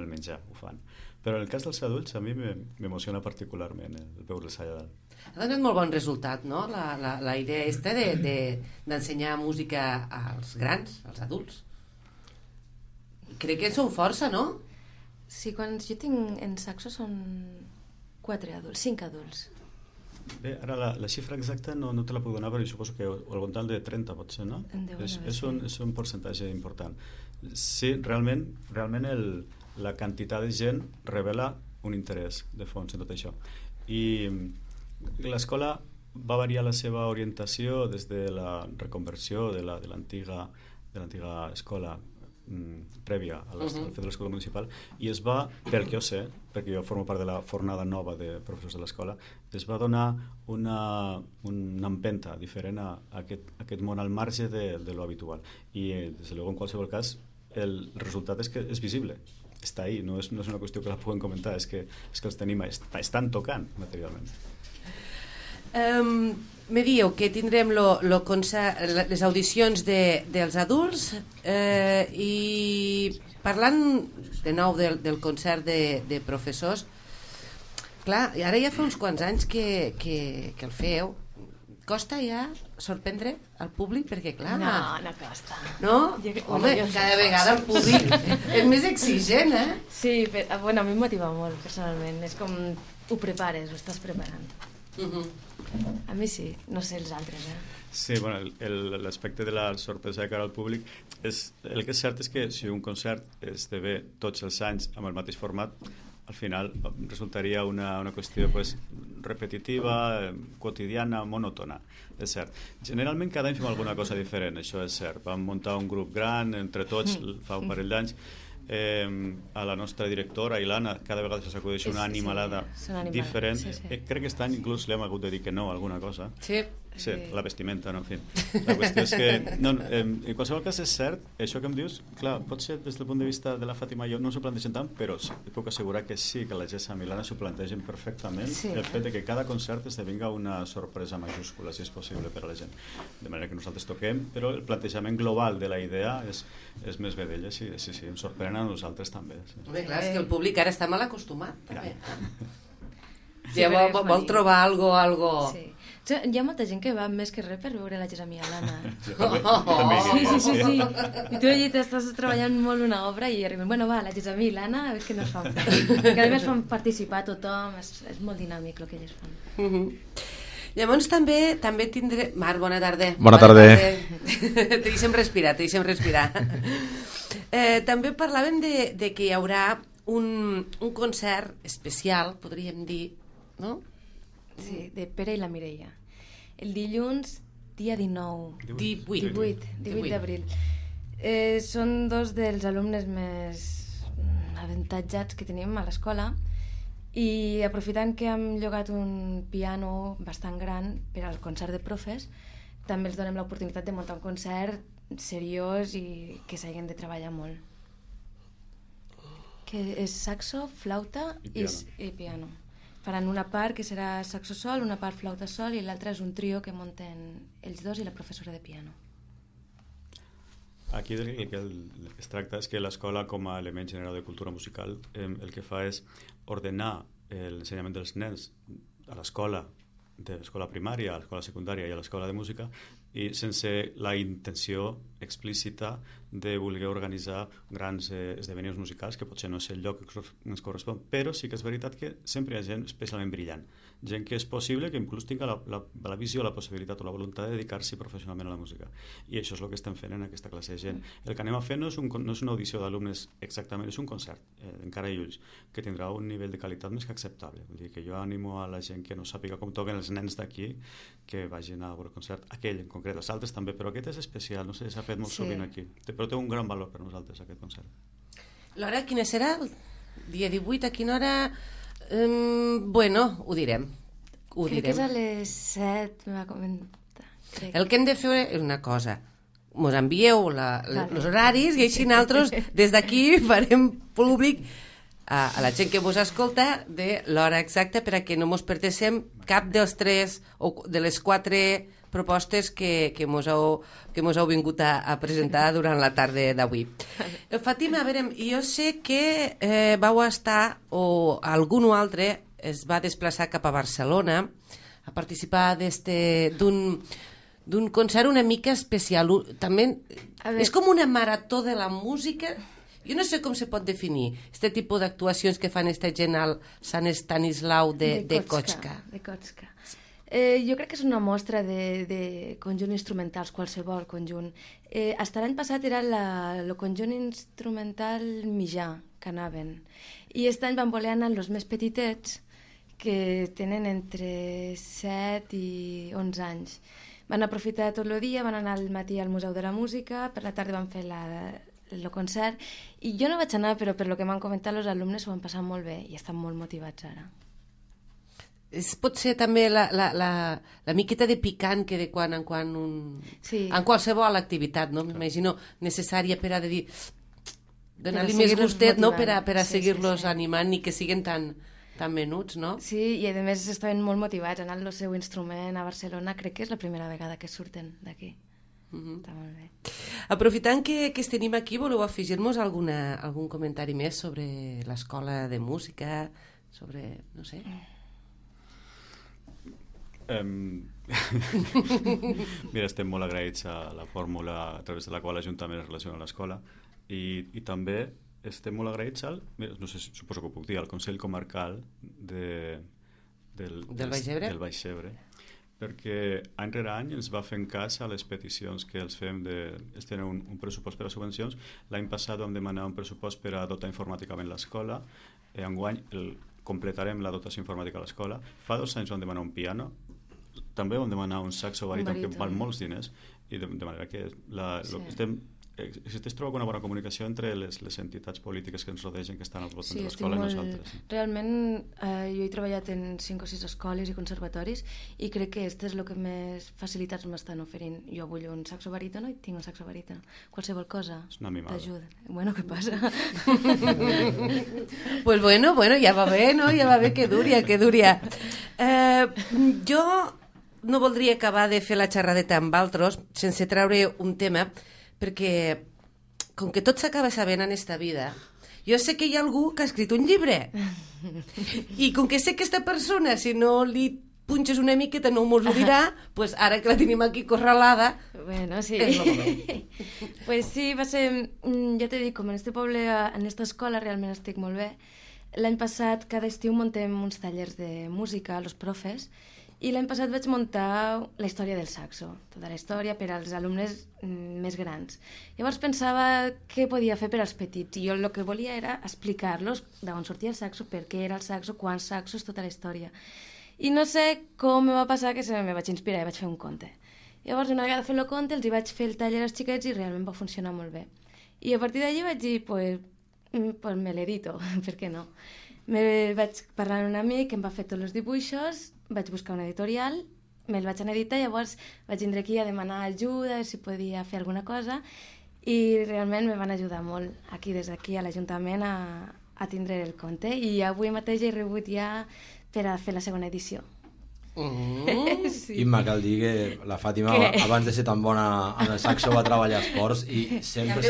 el menjar, ho fan. Però en el cas dels adults a mi m'emociona particularment el veure'ls allà dalt. Ha donat molt bon resultat, no? La idea d'ensenyar música als grans, als adults. Crec que en són força, no? Sí, quan jo tinc en saxo són 4 adults, 5 adults. Bé, ara la xifra exacta no te la puc donar, però suposo que al voltant de 30 potser, no? És un percentatge important. Sí, realment la quantitat de gent revela un interès de fons en tot això. I l'escola va variar la seva orientació des de la reconversió de l'antiga escola prèvia al fet de l'escola municipal, i es va, pel que jo sé, perquè jo formo part de la fornada nova de professors de l'escola, es va donar una empenta diferent a aquest món al marge de lo habitual, i des de luego en qualsevol cas el resultat és que és visible, està ahí, no és una qüestió que la puguem comentar, és que els tenim, estan tocant materialment. Me dieu que tindrem les audicions dels adults, i parlant de nou del concert de professors, clar, ara ja fa uns quants anys que el feu. Costa ja sorprendre al públic? Perquè clar... No costa. No? Home, cada vegada el públic és més exigent, Sí, però, bueno, a mi em motiva molt, personalment. És com ho prepares, ho estàs preparant. A mi sí, no sé els altres, Sí, bueno, l'aspecte de la sorpresa de cara al públic el que és cert és que si un concert esdevé tots els anys amb el mateix format, al final resultaria una qüestió pues, repetitiva, quotidiana, monòtona, és cert. Generalment cada any fem alguna cosa diferent, això és cert. Vam muntar un grup gran, entre tots, fa un parell d'anys, a la nostra directora, Ilana, cada vegada s'acudeix una animalada diferent. Crec que aquest any inclús li hem hagut de dir que no a alguna cosa. Sí, la vestimenta, no, en fi. La qüestió és que, en qualsevol cas és cert, això que em dius, clar, pot ser des del punt de vista de la Fàtima i jo no s'ho plantegen tant, però puc assegurar que sí, que la Gessa i l'Anna s'ho plantegen perfectament, el fet de que cada concert esdevinga una sorpresa majúscula, si és possible, per a la gent. De manera que nosaltres toquem, però el plantejament global de la idea és més bé d'ella, sí, em sorprèn a nosaltres també. Home, clar, és que el públic ara està mal acostumat, també. Ja vol trobar algo... Sí. Hi ha molta gent que va més que res per veure la Gessa i l'Anna. Sí. I tu allà estàs treballant molt una obra i arribem, bueno, va, la Gessa i l'Anna, a veure què nos fan fer. Que a més fan participar tothom, és molt dinàmic el que elles fan. Llavors també tindré... Marc, bona tarda. Bona tarda. Te deixem respirar. També parlàvem de que hi haurà un concert especial, podríem dir, no? Sí, de Pere i la Mireia. El dilluns, dia 19. 18 d'abril. Són dos dels alumnes més avantatjats que tenim a l'escola i aprofitant que hem llogat un piano bastant gran per al concert de profes, també els donem l'oportunitat de muntar un concert seriós i que s'hagin de treballar molt. Que és saxo, flauta i piano. Faran una part que serà saxo sol, una part flauta sol i l'altra és un trio que munten ells dos i la professora de piano. Aquí el que es tracta és que l'escola, com a element general de cultura musical, el que fa és ordenar l'ensenyament dels nens a l'escola, de l'escola primària, a l'escola secundària i a l'escola de música, i sense la intenció explícita de voler organitzar grans esdeveniments musicals, que potser no és el lloc que ens correspon, però sí que és veritat que sempre hi ha gent especialment brillant, gent que és possible que inclús tinga la visió, la possibilitat o la voluntat de dedicar-s'hi professionalment a la música, i això és el que estem fent en aquesta classe de gent. El que anem a fer no és una audició d'alumnes exactament, és un concert, encara i ulls, que tindrà un nivell de qualitat més que acceptable. Vull dir que jo animo a la gent que no sàpiga com toquen els nens d'aquí que vagin a veure el concert, aquell en concret, els altres també, però aquest és especial, no sé, s'ha fet molt sovint aquí, però té un gran valor per nosaltres aquest concert. L'hora quina serà? El dia 18, a quina hora? Bueno, ho direm. Crec que és a les 7, me va comentar. El que hem de fer és una cosa, mos envieu els horaris i així nosaltres des d'aquí farem públic a la gent que vos escolta de l'hora exacta per a que no mos perdéssim cap dels 3 o de les 4 propostes que mos heu vingut a presentar durant la tarda d'avui. Fàtima, a veure, jo sé que vau estar, o algun altre es va desplaçar cap a Barcelona a participar d'un concert una mica especial. També és com una marató de la música. Jo no sé com se pot definir aquest tipus d'actuacions que fan aquesta gent al Sant Estanislau de Kotxka. Jo crec que és una mostra de conjunt instrumentals, qualsevol conjunt. Hasta l'any passat era el conjunt instrumental mitjà que anaven. I aquest any van voler anar els més petitets, que tenen entre 7 i 11 anys. Van aprofitar tot el dia, van anar al matí al Museu de la Música, per la tarda van fer el concert, i jo no vaig anar, però per lo que m'han comentat els alumnes s'ho van passar molt bé i estan molt motivats ara. Pot ser també la miqueta de picant que de quan en quan en qualsevol activitat, no? M'imagino necessària per a dir donar-li més gustet, no? Per a seguir-los animant ni que siguin tan menuts, no? Sí, i a més estaven molt motivats, anant el seu instrument a Barcelona, crec que és la primera vegada que surten d'aquí. Està molt bé. Aprofitant que es tenim aquí, voleu afegir-nos algun comentari més sobre l'escola de música, sobre, no sé... Mira, estem molt agraïts a la fórmula a través de la qual l'Ajuntament es relaciona a l'escola i també estem molt agraïts no sé, suposo que ho puc dir, al Consell Comarcal del Baix Ebre, perquè any rere any ens va fent cas a les peticions que els fem ells tenen un pressupost per a subvencions. L'any passat vam demanar un pressupost per a dotar informàticament l'escola. enguany completarem la dotació informàtica a l'escola. Fa 2 anys vam demanar un piano, també vam demanar un saxo baríton que val molts diners, i de manera que es troba una bona comunicació entre les entitats polítiques que ens rodegen, que estan al voltant de l'escola i nosaltres. Realment, jo he treballat en 5 o 6 escoles i conservatoris i crec que este és el que més facilitats m'estan oferint. Jo vull un saxo barítono i tinc un saxo barítono. Qualsevol cosa t'ajuda. Bueno, què passa? Pues bueno, ja va bé, no? Ja va bé, que dúria. Jo no voldria acabar de fer la xerradeta amb altres sense treure un tema, perquè com que tot s'acaba sabent en esta vida, jo sé que hi ha algú que ha escrit un llibre i com que sé que aquesta persona, si no li punxes una miqueta no mos ho dirà, pues ara que la tenim aquí corralada, bueno, sí. És molt bé. Pues sí, va ser, ja t'he dit, com en este poble, en esta escola realment estic molt bé. L'any passat cada estiu muntem uns tallers de música a los profes i l'any passat vaig muntar la història del saxo, tota la història per als alumnes més grans. Llavors pensava què podia fer per als petits i jo el que volia era explicar-los d'on sortia el saxo, per què era el saxo, quants saxos, tota la història. I no sé com me va passar que me vaig inspirar i vaig fer un conte. Llavors una vegada fent el conte els hi vaig fer el taller als xiquets i realment va funcionar molt bé. I a partir d'allí vaig dir, pues me l'edito, per què no? Me vaig parlar amb un amic que em va fer tots els dibuixos, vaig buscar una editorial, me'l vaig anar a editar, llavors vaig vindre aquí a demanar ajuda, si podia fer alguna cosa, i realment me van ajudar molt aquí, des d'aquí a l'Ajuntament, a tindre el conte, i avui mateix he rebut ja per a fer la segona edició. Sí. Imma, cal dir que la Fàtima abans de ser tan bona amb el saxo va treballar a esports i sempre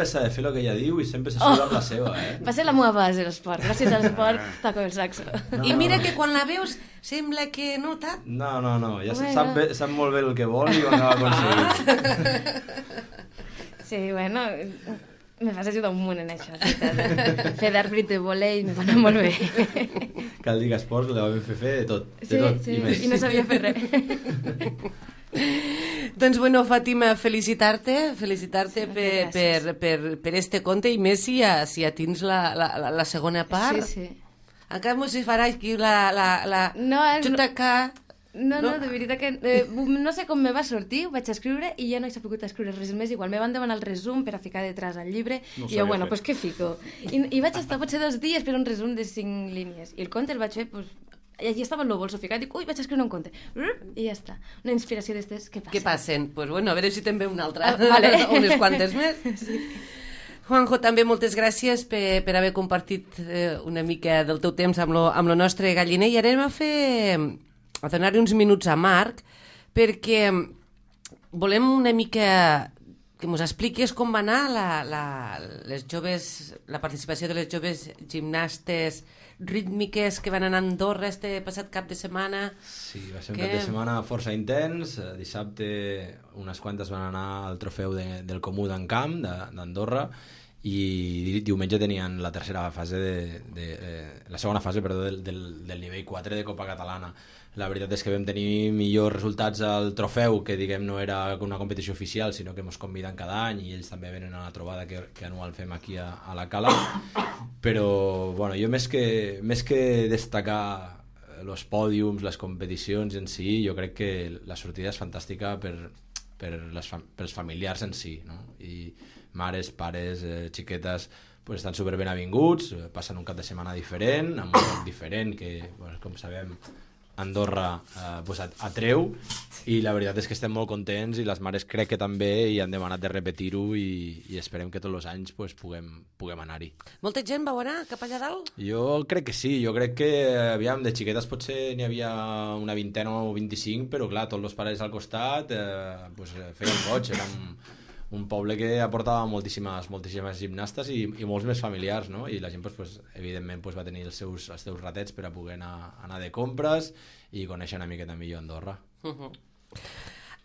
s'ha de fer el que ella diu i sempre s'assura amb la seva, Va ser la meva base, l'esport. Gràcies a l'esport toco el saxo. I mira que quan la veus sembla que no tant. No, ja sap molt bé el que vol i ho acaba aconseguint. Sí, bueno, me vas ajudar un munt en això, fer d'àrbit de volei me va anar molt bé. Cal dir que esports la vam fer de tot, i no sabia fer res. Doncs bueno, Fàtima, felicitar-te per este conte i més si ja tens la segona part. Sí. Encara mos hi farà aquí la xutaca. No, de veritat que no sé com me va sortir, ho vaig escriure i ja no he sabut escriure res més igual. Me van demanar el resum per a ficar detrás al llibre i jo, bueno, pues què fico? I vaig estar potser 2 dies per un resum de 5 línies i el conte el vaig fer, pues, allí estava en el bolso ficat, dic, ui, vaig escriure un conte i ja està, una inspiració d'estes que passen. Pues bueno, a veure si també una altra, vale. unes quantes més. Sí. Juanjo, també moltes gràcies per haver compartit una mica del teu temps amb lo nostre galliner i ara anem a donar-li uns minuts a Marc perquè volem una mica que ens expliquis com va anar la participació de les joves gimnastes rítmiques que van anar a Andorra este passat cap de setmana. Sí, va ser un cap de setmana força intens. Dissabte unes quantes van anar al trofeu del Comú d'Encamp d'Andorra i diumenge tenien la segona fase del nivell 4 de Copa Catalana. La veritat és que vam tenir millors resultats al trofeu, que diguem no era una competició oficial, sinó que ens conviden cada any i ells també venen a la trobada que anual fem aquí a la Cala. Però bueno, jo més que destacar els pòdiums, les competicions en si, jo crec que la sortida és fantàstica pels familiars en si, no? I mares, pares, xiquetes pues estan super ben avinguts, passen un cap de setmana diferent, amb un lloc diferent que, pues, com sabem, Andorra pues atreu, i la veritat és que estem molt contents i les mares crec que també i han demanat de repetir-ho i esperem que tots els anys pues, puguem anar-hi. Molta gent vau anar cap allà dalt? Jo crec que sí, jo crec que aviam, de xiquetes potser n'hi havia una 20 o 25, però clar, tots els pares al costat pues, feien goig, era un poble que aportava moltíssimes gimnastes i molts més familiars, no? I la gent pues, evidentment pues, va tenir els seus ratets per a poder anar de compres i conèixer una miqueta millor Andorra.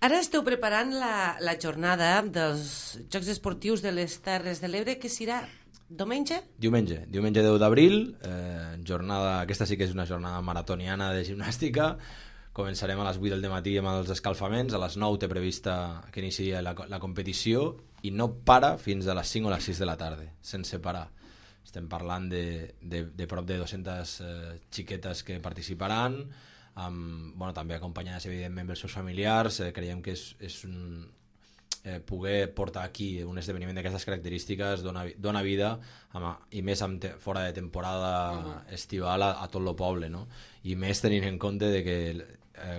Ara esteu preparant la jornada dels Jocs Esportius de les Terres de l'Ebre, que serà diumenge? Diumenge 10 d'abril, jornada, aquesta sí que és una jornada maratoniana de gimnàstica. Començarem a les 8 del matí amb els escalfaments, a les 9 té prevista que iniciï la competició i no para fins a les 5 o les 6 de la tarda, sense parar. estem parlant de prop de 200 xiquetes que participaran, també acompanyades evidentment pels seus familiars. Creiem que és poder portar aquí un esdeveniment d'aquestes característiques dona vida, i més fora de temporada estival, a tot el poble, no? I més tenint en compte de que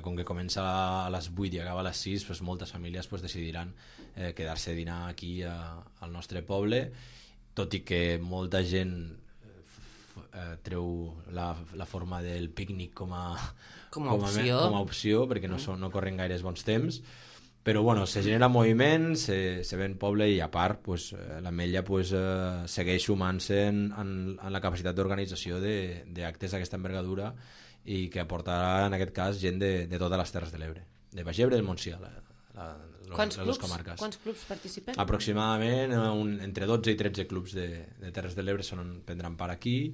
com que comença a les 8 i acaba a les 6, pues moltes famílies pues decidiran quedar-se a dinar aquí al nostre poble, tot i que molta gent treu la forma del pícnic com a opció, perquè no corren gaires bons temps. Però bueno, se genera moviment, se ven poble, i a part pues, l'Ametlla pues, segueix sumant-se en la capacitat d'organització d'actes d'aquesta envergadura, i que aportarà en aquest cas gent de totes les Terres de l'Ebre, de Baix Ebre i del Montsià, les dues comarques. Quants clubs participen? Aproximadament entre 12 i 13 clubs de Terres de l'Ebre prendran part aquí,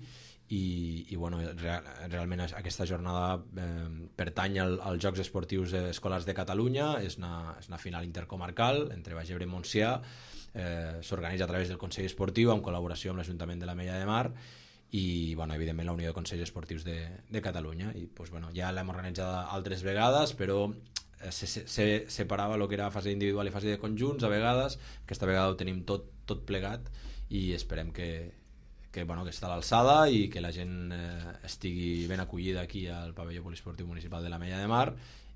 i bueno, realment aquesta jornada pertany als Jocs Esportius Escolars de Catalunya. És una final intercomarcal entre Baix Ebre i Montsià, s'organitza a través del Consell Esportiu en col·laboració amb l'Ajuntament de l'Ametlla de Mar i bueno, evidentment la Unió de Consells Esportius de Catalunya. I pues, bueno, ja l'hem organitzada altres vegades, però se separava el que era fase individual i fase de conjunts a vegades. Aquesta vegada ho tenim tot plegat, i esperem que està a l'alçada i que la gent estigui ben acollida aquí al pavelló poliesportiu municipal de l'Ametlla de Mar,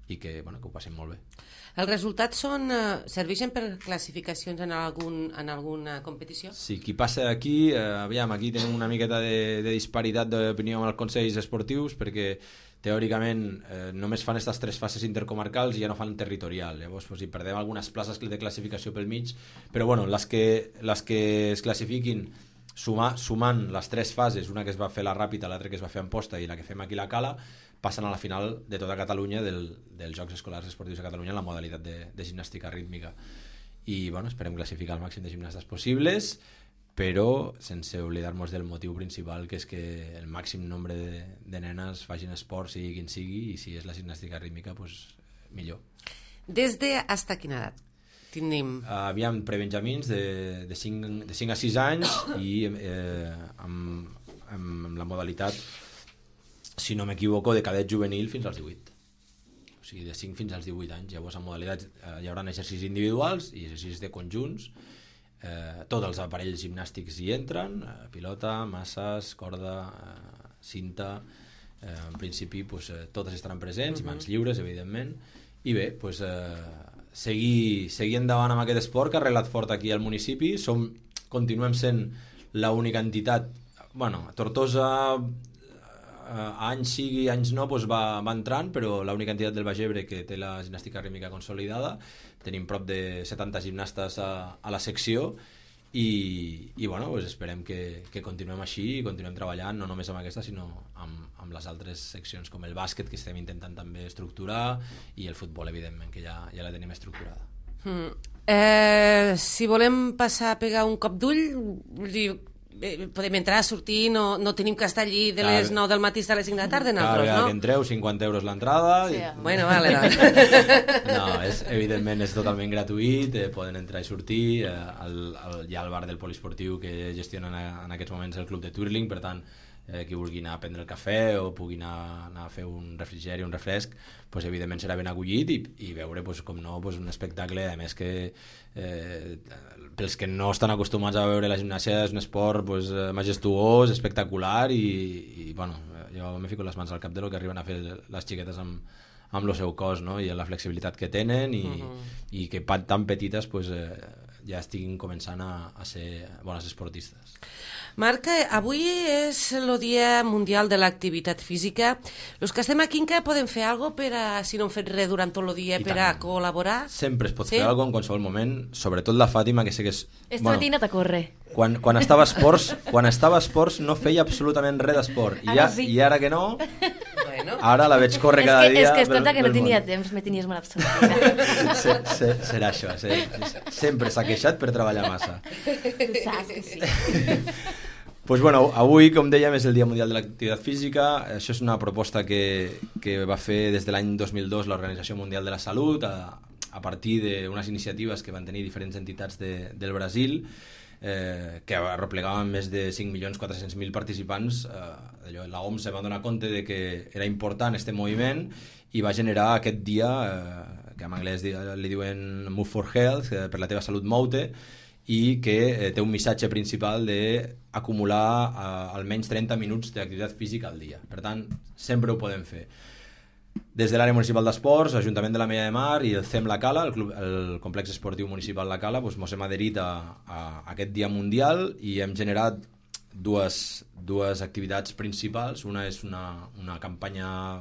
i que ho passin molt bé. Els resultats serveixen per classificacions en alguna competició? Sí, qui passa aquí, aquí tenim una miqueta de disparitat d'opinió amb els consells esportius, perquè teòricament només fan aquestes 3 fases intercomarcals i ja no fan territorial. Llavors hi perdem algunes places de classificació pel mig, però bueno, les que es classifiquin sumant les 3 fases, una que es va fer a la Ràpita, l'altra que es va fer a Amposta i la que fem aquí a la Cala, passen a la final de tota Catalunya dels Jocs Escolars Esportius de Catalunya en la modalitat de gimnàstica rítmica. I bueno, esperem classificar el màxim de gimnastes possibles, però sense oblidar-nos del motiu principal, que és que el màxim nombre de nenes facin esport, sigui quin sigui, i si és la gimnàstica rítmica, pues, millor. Des de hasta quina edat tenim? Aviam, prebenjamins de 5 a 6 anys, i amb la modalitat, si no m'equivoco, de cadet juvenil fins als 18. O sigui, de 5 fins als 18 anys. Llavors, en modalitat hi haurà exercicis individuals i exercicis de conjunts. Tots els aparells gimnàstics hi entren, pilota, masses, corda, cinta. En principi, totes estaran presents, i mans lliures, evidentment. I bé, seguir endavant amb aquest esport que ha arreglat fort aquí al municipi. Continuem sent l'única entitat, a Tortosa anys sigui, anys no, va entrant, però l'única entitat del Baix Ebre que té la gimnàstica rítmica consolidada. Tenim prop de 70 gimnastes a la secció, i esperem que continuem així i continuem treballant, no només amb aquesta, sinó amb les altres seccions, com el bàsquet, que estem intentant també estructurar, i el futbol, evidentment, que ja la tenim estructurada. Si volem passar a pegar un cop d'ull, podem entrar, sortir, no tenim que estar allí de les 9 del matí a les 5 de la tarda, cada vegada que entreu, 50 euros l'entrada. Sí. Bueno, vale. No, evidentment és totalment gratuït, poden entrar i sortir. Hi ha el bar del poliesportiu que gestiona en aquests moments el club de Twirling, per tant, qui vulgui anar a prendre el cafè o pugui anar a fer un refrigeri, un refresc, evidentment serà ben acollit, i veure, com no, un espectacle, a més que pels que no estan acostumats a veure la gimnàsia, és un esport majestuós, espectacular, i jo m'he ficat les mans al cap de lo que arriben a fer les xiquetes amb el seu cos, no? I la flexibilitat que tenen, i que tan petites ja estiguin començant a ser bones esportistes. Marc, avui és el Dia Mundial de l'Activitat Física. Els que estem a Quinca podem fer alguna cosa, si no hem fet res durant tot el dia, per a col·laborar? Sempre es pot fer alguna cosa en qualsevol moment, sobretot la Fàtima, que sé que és... Esta matina a córrer. Quan estava a esports no feia absolutament res d'esport, i ara que no... Ara la veig córrer cada dia. És que escolta, que no tenia temps, me tenies molt absoluta. Serà això, sempre s'ha queixat per treballar massa. Tu saps que sí. Avui, com dèiem, és el Dia Mundial de l'Activitat Física. Això és una proposta que va fer des de l'any 2002 l'Organització Mundial de la Salut, a partir d'unes iniciatives que van tenir diferents entitats del Brasil. que arreplegaven més de 5.400.000 participants, la OMS se va donar compte de que era important este moviment i va generar aquest dia, que en anglès li diuen Move for Health, per la teva salut mou-te, i que té un missatge principal d'acumular almenys 30 minuts d'activitat física al dia. Per tant, sempre ho podem fer. Des de l'àrea municipal d'esports, l'Ajuntament de la Mella de Mar i el CEM La Cala, el complex esportiu municipal La Cala, ens hem adherit a aquest dia mundial i hem generat dues activitats principals. Una és una campanya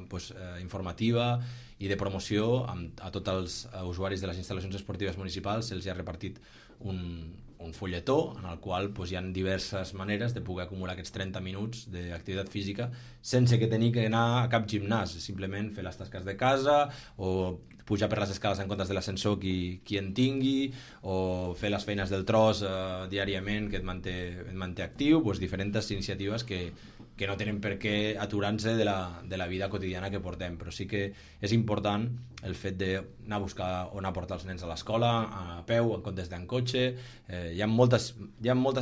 informativa i de promoció a tots els usuaris de les instal·lacions esportives municipals. Se'ls ha repartit un fulletó en el qual hi ha diverses maneres de poder acumular aquests 30 minuts d'activitat física sense que tenir que anar a cap gimnàs, simplement fer les tasques de casa o pujar per les escales en comptes de l'ascensor qui en tingui, o fer les feines del tros diàriament que et manté actiu, diferents iniciatives que no tenen per què aturar-se de la vida quotidiana que portem, però sí que és important el fet d'anar a buscar on aportar els nens a l'escola, a peu, en comptes d'en cotxe. Hi ha moltes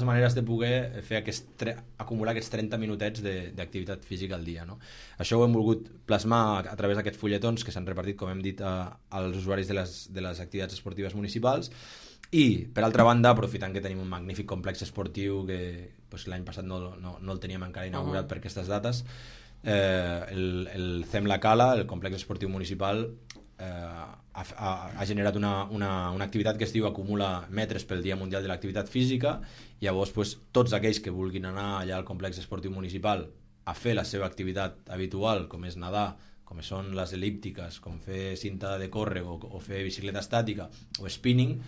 maneres de poder fer acumular aquests 30 minutets d'activitat física al dia, no? Això ho hem volgut plasmar a través d'aquests fulletons que s'han repartit, com hem dit, als usuaris de les activitats esportives municipals. I, per altra banda, aprofitant que tenim un magnífic complex esportiu que l'any passat no el teníem encara inaugurat per aquestes dates, el CEM La Cala, el complex esportiu municipal, ha generat una activitat que es diu Acumula metres pel Dia Mundial de l'Activitat Física. Llavors, tots aquells que vulguin anar allà al complex esportiu municipal a fer la seva activitat habitual, com és nedar, com són les el·líptiques, com fer cinta de córrer o fer bicicleta estàtica o spinning,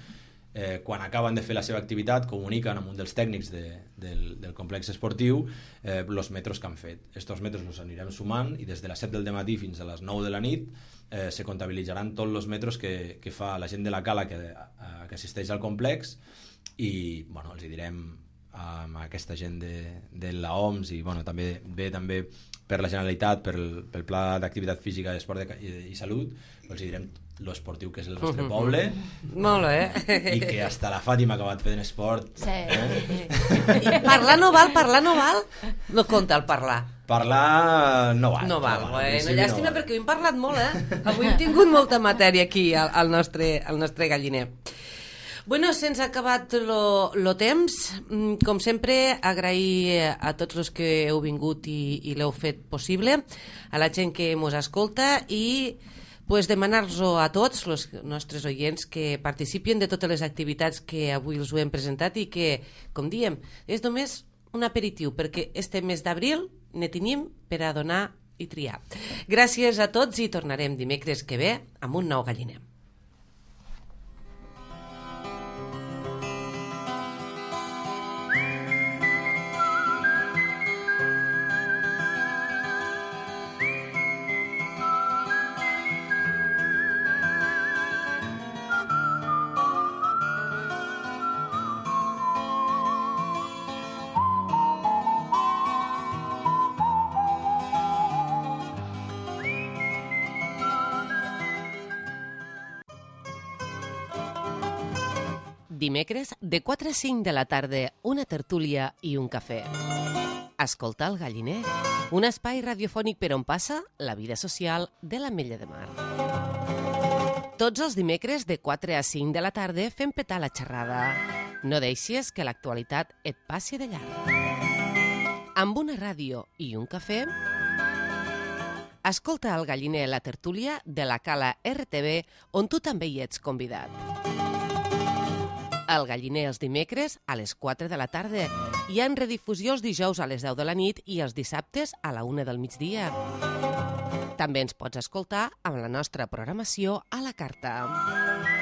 quan acaben de fer la seva activitat comuniquen amb un dels tècnics del complex esportiu els metres que han fet. Estos metres els anirem sumant i des de les 7 del matí fins a les 9 de la nit se comptabilitzaran tots els metres que fa la gent de la Cala que assisteix al complex i els hi direm amb aquesta gent de la OMS i també per la Generalitat, pel Pla d'Activitat Física, Esport i Salut, els hi direm l'esportiu que és el nostre poble. Molt bé. I que hasta la Fàtima ha acabat fent esport. Sí. Parlar no val? No compta el parlar. Parlar no val. No val. Bueno, llàstima perquè ho hem parlat molt, Avui hem tingut molta matèria aquí al nostre galliner. Bueno, se'ns ha acabat lo temps. Com sempre, agrair a tots els que heu vingut i l'heu fet possible, a la gent que mos escolta i demanar-los a tots els nostres oients que participin de totes les activitats que avui els ho hem presentat i que, com diem, és només un aperitiu, perquè este mes d'abril ne tenim per a donar i triar. Gràcies a tots i tornarem dimecres que ve amb un nou galliner. Dimecres, de 4 a 5 de la tarda, una tertúlia i un cafè. Escoltar el galliner, un espai radiofònic per on passa la vida social de l'Ametlla de Mar. Tots els dimecres, de 4 a 5 de la tarda, fem petar la xerrada. No deixis que l'actualitat et passi de llarg. Amb una ràdio i un cafè, escolta el galliner la tertúlia de la Cala RTV, on tu també hi ets convidat. El galliner els dimecres a les 4 de la tarda. Hi ha redifusió els dijous a les 10 de la nit i els dissabtes a la 1 del migdia. També ens pots escoltar amb la nostra programació a la carta.